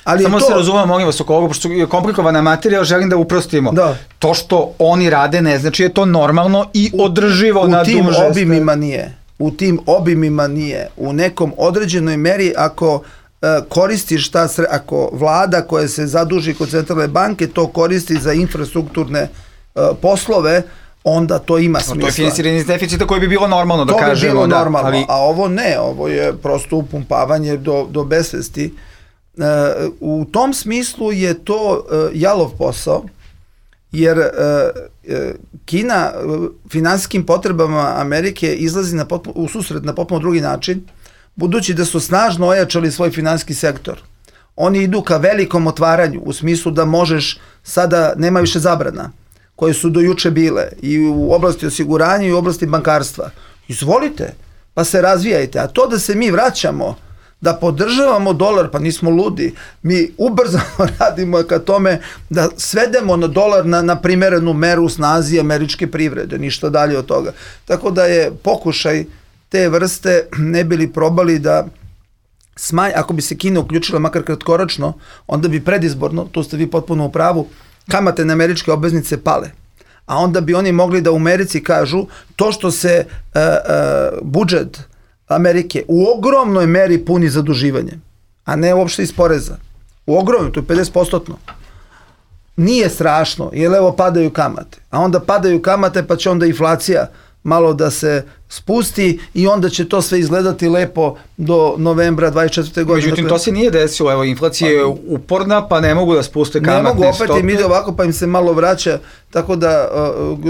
Ali Samo to... se razumemo, molim vas, oko ovoga, pošto je komplikovana materija, želim da uprostimo. Da. To što oni rade ne znači je to normalno i održivo u, na duže. U tim obimima nije. U tim obimima nije. U nekom određenoj meri ako uh, koristiš ta sre... ako vlada koja se zaduži kod centralne banke to koristi za infrastrukturne uh, poslove, onda to ima smisla. To je finansiranje iz deficita koje bi bilo normalno, da to kažemo. To bi bilo da, normalno, ali... a ovo ne, ovo je prosto upumpavanje do, do besvesti. Uh, u tom smislu je to uh, jalov posao, jer uh, uh, Kina uh, finansijskim potrebama Amerike izlazi na potpuno, u susret na potpuno drugi način, budući da su snažno ojačali svoj finansijski sektor. Oni idu ka velikom otvaranju, u smislu da možeš, sada nema više zabrana, koje su do juče bile i u oblasti osiguranja i u oblasti bankarstva. Izvolite, pa se razvijajte. A to da se mi vraćamo, da podržavamo dolar, pa nismo ludi. Mi ubrzano radimo ka tome da svedemo na dolar na, na primerenu meru snazi američke privrede, ništa dalje od toga. Tako da je pokušaj te vrste, ne bili probali da smanj, ako bi se Kina uključila makar kratkoročno, onda bi predizborno, tu ste vi potpuno u pravu, kamate na američke obveznice pale. A onda bi oni mogli da u Americi kažu to što se uh, uh, budžet Amerike u ogromnoj meri puni zaduživanje, a ne uopšte iz poreza. U ogromnoj, to je pedeset posto. Nije strašno, jer evo padaju kamate. A onda padaju kamate pa će onda inflacija malo da se spusti i onda će to sve izgledati lepo do novembra dvadeset četvrte godine. Međutim, to se nije desilo, evo, inflacija je uporna, pa ne mogu da spuste kamatne stope. Ne mogu, opet im ide ovako, pa im se malo vraća, tako da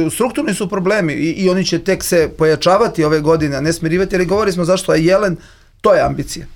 uh, strukturni su problemi i, i oni će tek se pojačavati ove godine, a ne smirivati, jer govori smo zašto je Jelen, to je ambicija.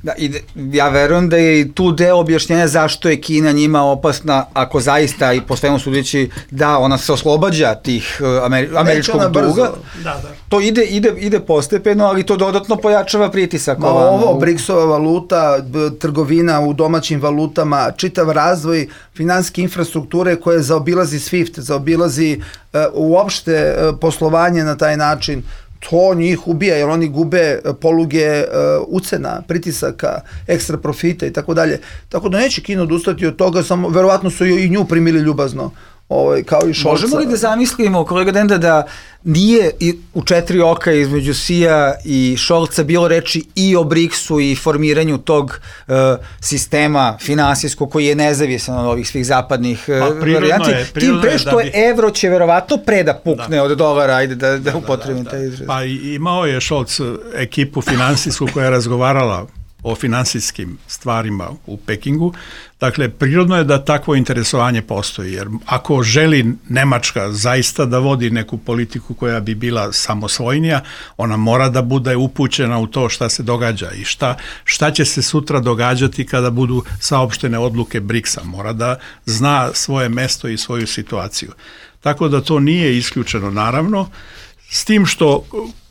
Da, i ja verujem da je i tu deo objašnjenja zašto je Kina njima opasna, ako zaista i po svemu sudeći da ona se oslobađa tih Ameri američkog duga. Da, da. To ide, ide, ide postepeno, ali to dodatno pojačava pritisak. Ma ovo, BRICS-ova valuta, trgovina u domaćim valutama, čitav razvoj finansijske infrastrukture koje zaobilazi SWIFT, zaobilazi uh, uopšte uh, poslovanje na taj način. To njih ubija, jer oni gube poluge uh, ucena, pritisaka, ekstra profita i tako dalje. Tako da neće Kina odustati od toga, samo verovatno su i nju primili ljubazno, ovaj, kao i Šolca. Možemo li da zamislimo, kolega Denda, da nije i u četiri oka između Xija i Šolca bilo reči i o briksu i formiranju tog uh, sistema finansijskog koji je nezavisan od ovih svih zapadnih uh, varijanti. Tim pre što je bi... evro će verovatno pre da pukne da. od dolara, ajde da, da, da upotrebim da, da, da. taj izraz. Pa imao je Šolc ekipu finansijsku koja je razgovarala o finansijskim stvarima u Pekingu. Dakle, prirodno je da takvo interesovanje postoji, jer ako želi Nemačka zaista da vodi neku politiku koja bi bila samosvojnija, ona mora da bude upućena u to šta se događa i šta, šta će se sutra događati kada budu saopštene odluke briksa. Mora da zna svoje mesto i svoju situaciju. Tako da to nije isključeno, naravno, s tim što,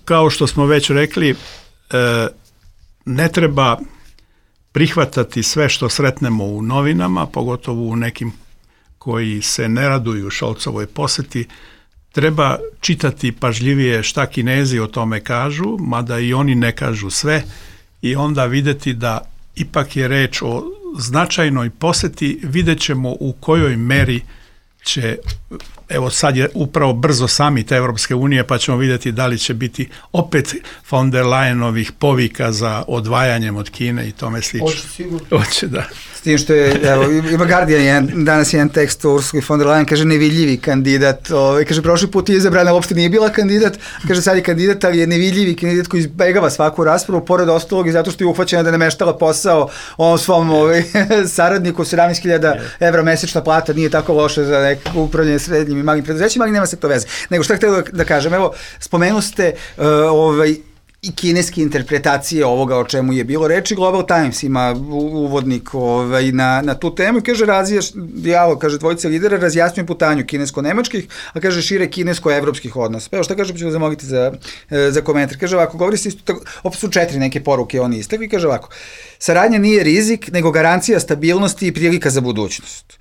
kao što smo već rekli, e, ne treba prihvatati sve što sretnemo u novinama, pogotovo u nekim koji se ne raduju Šolcovoj poseti. Treba čitati pažljivije šta Kinezi o tome kažu, mada i oni ne kažu sve, i onda videti da ipak je reč o značajnoj poseti. Vidjet ćemo u kojoj meri će, evo sad je upravo brzo samit Evropske unije, pa ćemo vidjeti da li će biti opet von der Leyenovih povika za odvajanjem od Kine i tome slično. Hoće sigurno. Hoće, da. S tim što je, evo, ima Guardian jedan, danas jedan tekst o Ursuli von der Leyen, kaže nevidljivi kandidat, ovaj, kaže prošli put je izabrana, uopšte nije bila kandidat, kaže sad je kandidat, ali je nevidljivi kandidat koji izbegava svaku raspravu, pored ostalog i zato što je uhvaćena da ne meštala posao ovom svom ovaj, saradniku, sedamnaest hiljada evra mesečna plata, nije tako loše za neko upravljanje srednjim i malim preduzećima, ali nema se to veze. Nego šta htio da, da kažem, evo, spomenu ste uh, ovaj, i kineske interpretacije ovoga o čemu je bilo reči. Global Times ima uvodnik ovaj, na, na tu temu i kaže razjaš, dijalog, kaže dvojice lidera razjasnjuju putanju kinesko-nemačkih, a kaže šire kinesko-evropskih odnosa. Pa evo šta kaže, pa ću da zamoliti za, za komentar. Kaže ovako, govori se isto, opet su četiri neke poruke oni istakli, kaže ovako, saradnja nije rizik, nego garancija stabilnosti i prilika za budućnost.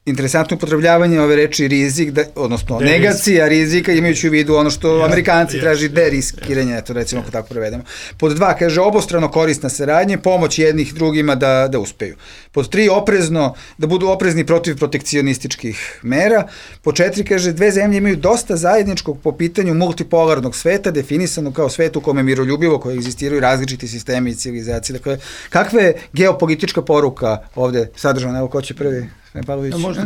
interesantno upotrebljavanje ove reči rizik, da, odnosno de negacija rizika, imajući u vidu ono što ja, Amerikanci ja, traži deriskiranje, ja, eto recimo ako tako prevedemo. Pod dva, kaže, obostrano korisna saradnja, pomoć jednih drugima da, da uspeju. Pod tri, oprezno, da budu oprezni protiv protekcionističkih mera. Pod četiri, kaže, dve zemlje imaju dosta zajedničkog po pitanju multipolarnog sveta, definisano kao svet u kome miroljubivo, koje egzistiraju različiti sistemi i civilizacije. Dakle, kakva je geopolitička poruka ovde sadržana? Evo, ko će prvi? Ja, možda,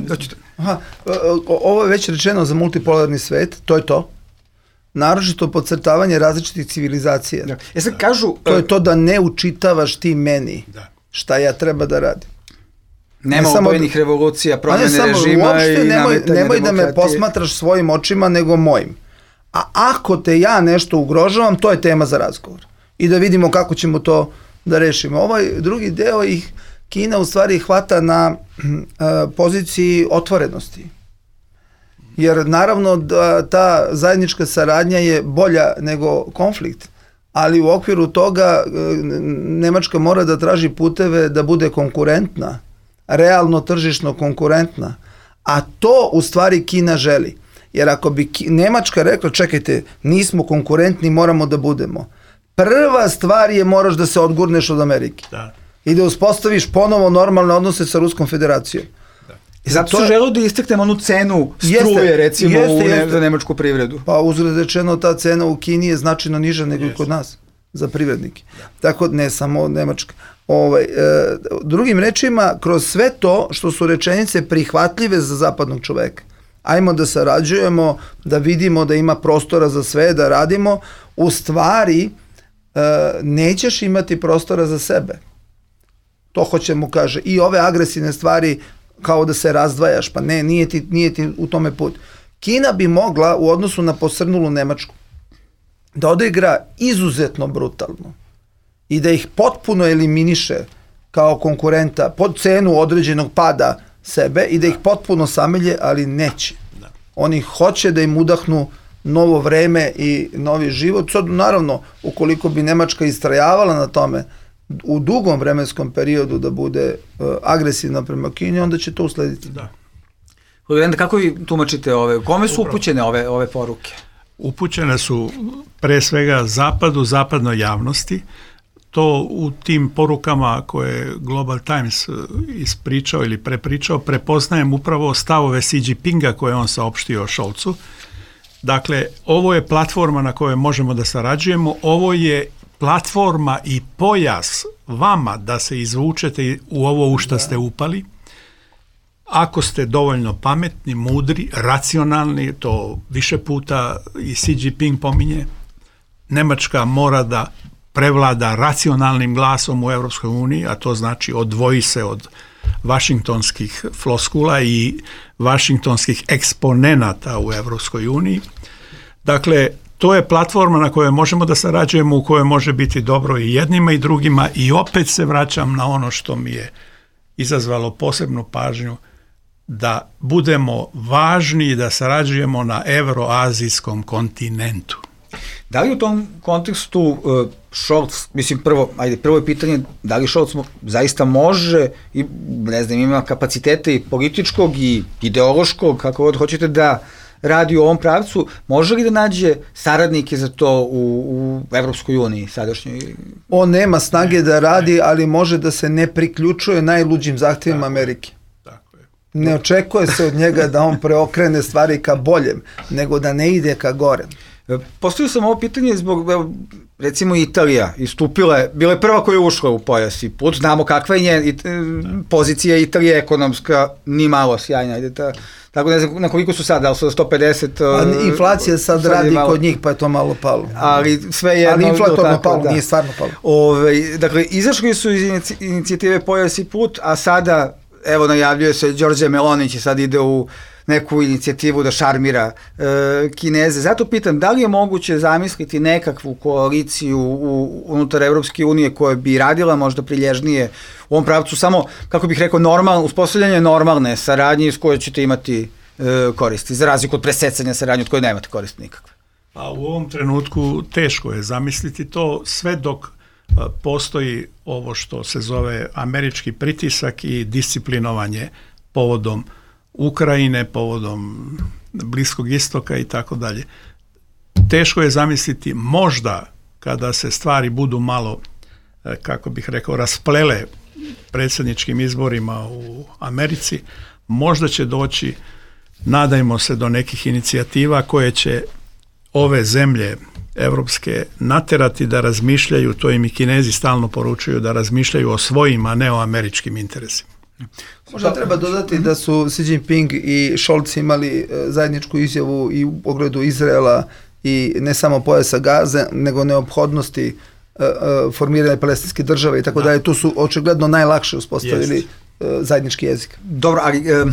aha, ovo je već rečeno za multipolarni svet, to je to. Naročito podcrtavanje različitih civilizacija. Da. E sad kažu... To je to da ne učitavaš ti meni da. Šta ja treba da radim. Nema ne obojenih da, revolucija, promjene samo, režima uopšte, i nemoj, nemoj da me posmatraš svojim očima nego mojim. A ako te ja nešto ugrožavam, to je tema za razgovor. I da vidimo kako ćemo to da rešimo. Ovaj drugi deo ih Kina u stvari hvata na uh, poziciji otvorenosti. Jer naravno da ta zajednička saradnja je bolja nego konflikt, ali u okviru toga uh, Nemačka mora da traži puteve da bude konkurentna, realno tržišno konkurentna, a to u stvari Kina želi. Jer ako bi Ki- Nemačka rekla, čekajte, nismo konkurentni, moramo da budemo. Prva stvar je moraš da se odgurneš od Amerike. Da. I da uspostaviš ponovo normalne odnose sa Ruskom federacijom. Da. I zato su želeo da istaknemo onu cenu struje, jeste, recimo, jeste, u ne, jeste. za nemačku privredu. Pa uzgled rečeno, ta cena u Kini je značajno niža nego i kod nas, za privrednike. Da. Tako, ne samo Nemačka. Ovaj, e, drugim rečima, kroz sve to što su rečenice prihvatljive za zapadnog čoveka, ajmo da sarađujemo, da vidimo da ima prostora za sve, da radimo, u stvari e, nećeš imati prostora za sebe. To hoćemo, kaže, i ove agresivne stvari kao da se razdvajaš, pa ne, nije ti, nije ti u tome put. Kina bi mogla u odnosu na posrnulu Nemačku da odigra izuzetno brutalno i da ih potpuno eliminiše kao konkurenta pod cenu određenog pada sebe i da ih potpuno samelje, ali neće. Oni hoće da im udahnu novo vreme i novi život. Sad, naravno, ukoliko bi Nemačka istrajavala na tome u dugom vremenskom periodu da bude uh, agresivna prema Kini, onda će to uslediti. Da. Kako vi tumačite ove, kome su upućene ove, ove poruke? Upućene su pre svega zapadu, zapadnoj javnosti. To u tim porukama koje je Global Times ispričao ili prepričao, prepoznajem upravo stavove Xi Jinpinga koje on saopštio Scholzu. Dakle, ovo je platforma na kojoj možemo da sarađujemo, ovo je platforma i pojas vama da se izvučete u ovo u što ste upali. Ako ste dovoljno pametni, mudri, racionalni, to više puta i Xi Jinping pominje, Nemačka mora da prevlada racionalnim glasom u Evropskoj uniji, a to znači odvoji se od vašingtonskih floskula i vašingtonskih eksponenata u Evropskoj uniji. Dakle, to je platforma na kojoj možemo da sarađujemo, u kojoj može biti dobro i jednima i drugima, i opet se vraćam na ono što mi je izazvalo posebnu pažnju, da budemo važni i da sarađujemo na evroazijskom kontinentu. Da li u tom kontekstu uh, Scholz, mislim prvo, ajde, prvo je pitanje, da li Scholz zaista može i, ne znam, ima kapacitete i političkog i ideološkog, kako god hoćete, da radi u ovom pravcu, može li da nađe saradnike za to u, u Evropskoj uniji sadašnjoj? On nema snage da radi, ali može da se ne priključuje najluđim zahtjevima Amerike. Tako je. Ne očekuje se od njega da on preokrene stvari ka boljem, nego da ne ide ka gorem. Postavio sam ovo pitanje zbog, recimo, Italija istupila je, bila je prva koja je ušla u pojas i put, znamo kakva je njen, it, pozicija Italije ekonomska, ni malo sjajna, ide ta, tako ne znam na koliko su sad, da li su sto pedeset... Pa, inflacija sad, sad radi malo, kod njih, pa je to malo palo. Ali sve jedno... Ali inflatorno palo, da. Nije stvarno palo. Ove, dakle, izašli su iz inicijative Pojas i put, a sada, evo, najavljuje se, Đorđe Meloni će sad ide u neku inicijativu da šarmira e, Kineze. Zato pitam, da li je moguće zamisliti nekakvu koaliciju u, unutar Evropske unije koja bi radila možda prilježnije u ovom pravcu, samo, kako bih rekao, normal, uspostavljanje normalne saradnje iz koje ćete imati e, koristi, za razliku od presecanja saradnje od koje nemate koristi nikakve? A u ovom trenutku teško je zamisliti to, sve dok postoji ovo što se zove američki pritisak i disciplinovanje povodom Ukrajine, povodom Bliskog istoka i tako dalje. Teško je zamisliti, možda kada se stvari budu malo, kako bih rekao, rasplele predsjedničkim izborima u Americi, možda će doći, nadajmo se, do nekih inicijativa koje će ove zemlje evropske naterati da razmišljaju, to im i Kinezi stalno poručuju, da razmišljaju o svojim, a ne o američkim interesima. Možda treba dodati da su Xi Jinping i Scholz imali zajedničku izjavu i u pogledu Izraela i ne samo pojasa Gaze, nego neophodnosti formiranja palestinske države i tako da je tu su očigledno najlakše uspostavili Jest. zajednički jezik. Dobro, ali e,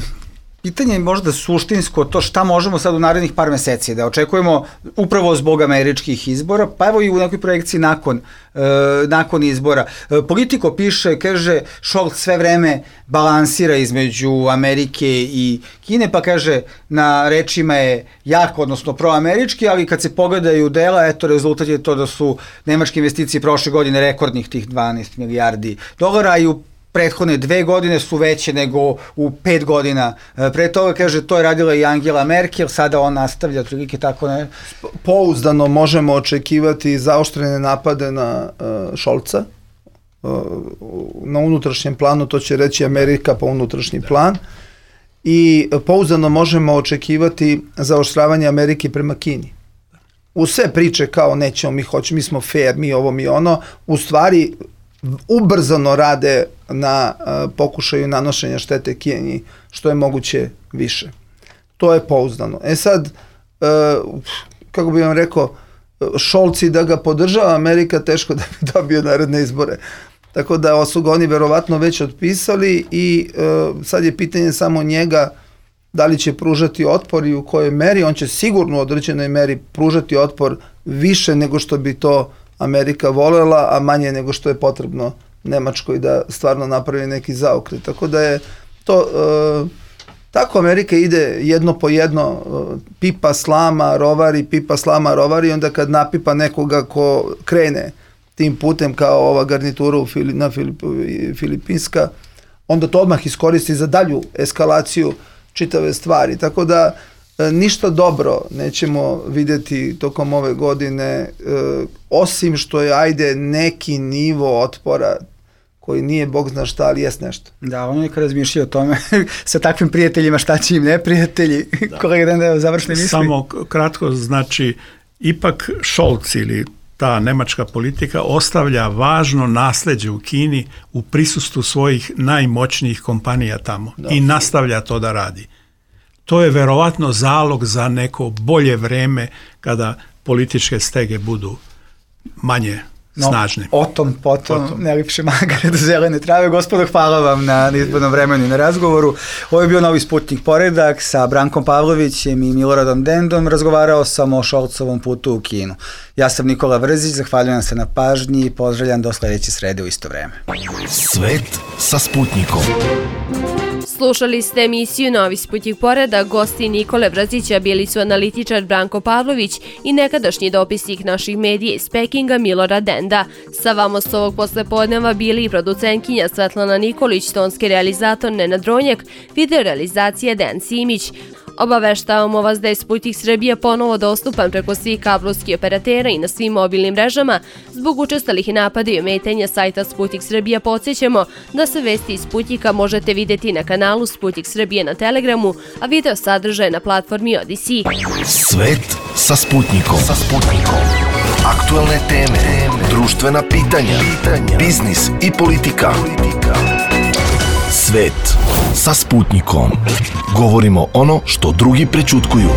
pitanje je možda suštinsko to šta možemo sad u narednih par meseci da očekujemo upravo zbog američkih izbora, pa evo i u nekoj projekciji nakon, e, nakon izbora. E, Politiko piše, kaže, Scholz sve vreme balansira između Amerike i Kine, pa kaže, na rečima je jako, odnosno proamerički, ali kad se pogledaju dela, eto, rezultat je to da su nemačke investicije prošle godine rekordnih tih dvanaest milijardi dolara i u prethodne dve godine su veće nego u pet godina. Pre toga, kaže, to je radila i Angela Merkel, sada on nastavlja otprilike tako ne. Pouzdano možemo očekivati zaoštrene napade na uh, Scholza. Uh, na unutrašnjem planu, to će reći Amerika pa unutrašnji plan. I pouzdano možemo očekivati zaoštravanje Amerike prema Kini. U sve priče kao nećemo, mi hoćemo, mi smo fair, mi ovo, mi ono, u stvari ubrzano rade na uh, pokušaju nanošenja štete Kini što je moguće više. To je pouzdano. E sad, uh, kako bih vam rekao, Scholz da ga podržava Amerika, teško da bi dobio naredne izbore. Tako da su ga oni verovatno već otpisali i uh, sad je pitanje samo njega da li će pružati otpor i u kojoj meri. On će sigurno u određenoj meri pružati otpor više nego što bi to Amerika volela, a manje nego što je potrebno Nemačkoj da stvarno napravi neki zaokret. Tako da je to, e, tako Amerika ide jedno po jedno, e, pipa, slama, rovari, pipa, slama, rovari, onda kad napipa nekoga ko krene tim putem kao ova garnitura u Fili, na Filip, Filipinska, onda to odmah iskoristi za dalju eskalaciju čitave stvari. Tako da ništa dobro nećemo vidjeti tokom ove godine, e, osim što je, ajde, neki nivo otpora koji nije bog zna šta, ali jest nešto. Da, ono je kad razmišljaju o tome sa takvim prijateljima šta će im neprijatelji. Kolega Denda, završne misli. Samo kratko, znači, ipak Scholz ili ta nemačka politika ostavlja važno nasleđe u Kini u prisustvu svojih najmoćnijih kompanija tamo da. I nastavlja to da radi. To je verovatno zalog za neko bolje vreme kada političke stege budu manje no, snažne. O tom, potom, potom. Najlipše magare do zelene trave. Gospodo, hvala vam na izbornom vremenu i na razgovoru. Ovo je bio Novi Sputnik poredak sa Brankom Pavlovićem i Miloradom Dendom. Razgovarao sam o Scholzovom putu u Kinu. Ja sam Nikola Vrzić, zahvaljujem se na pažnji i pozdravljam do sledeće srede u isto vreme. Svet sa Sputnikom. Slušali ste emisiju Novi Sputnik poredak. Gosti Nikole Vrzića bili su analitičar Branko Pavlović i nekadašnji dopisnik naših medija iz Pekinga Milorad Denda. Sa vama s ovog poslepodneva bili i producentkinja Svetlana Nikolić, tonski realizator Nenad Dronjak, video realizacija Dejan Simić. Obaveštavamo vas da je Sputnik Srbija ponovo dostupan preko svih kablovskih operatera i na svim mobilnim mrežama. Zbog učestalih napada i ometanja sajta Sputnik Srbija podsjećamo da se vesti iz Sputnika možete vidjeti na kanalu Sputnik Srbije na Telegramu, a video sadržaje na platformi Odisi. Svet sa Sputnikom. Sa Sputnikom. Aktualne teme, društvena pitanja, biznis i politika. Svet sa Sputnikom. Govorimo ono što drugi prećutkuju.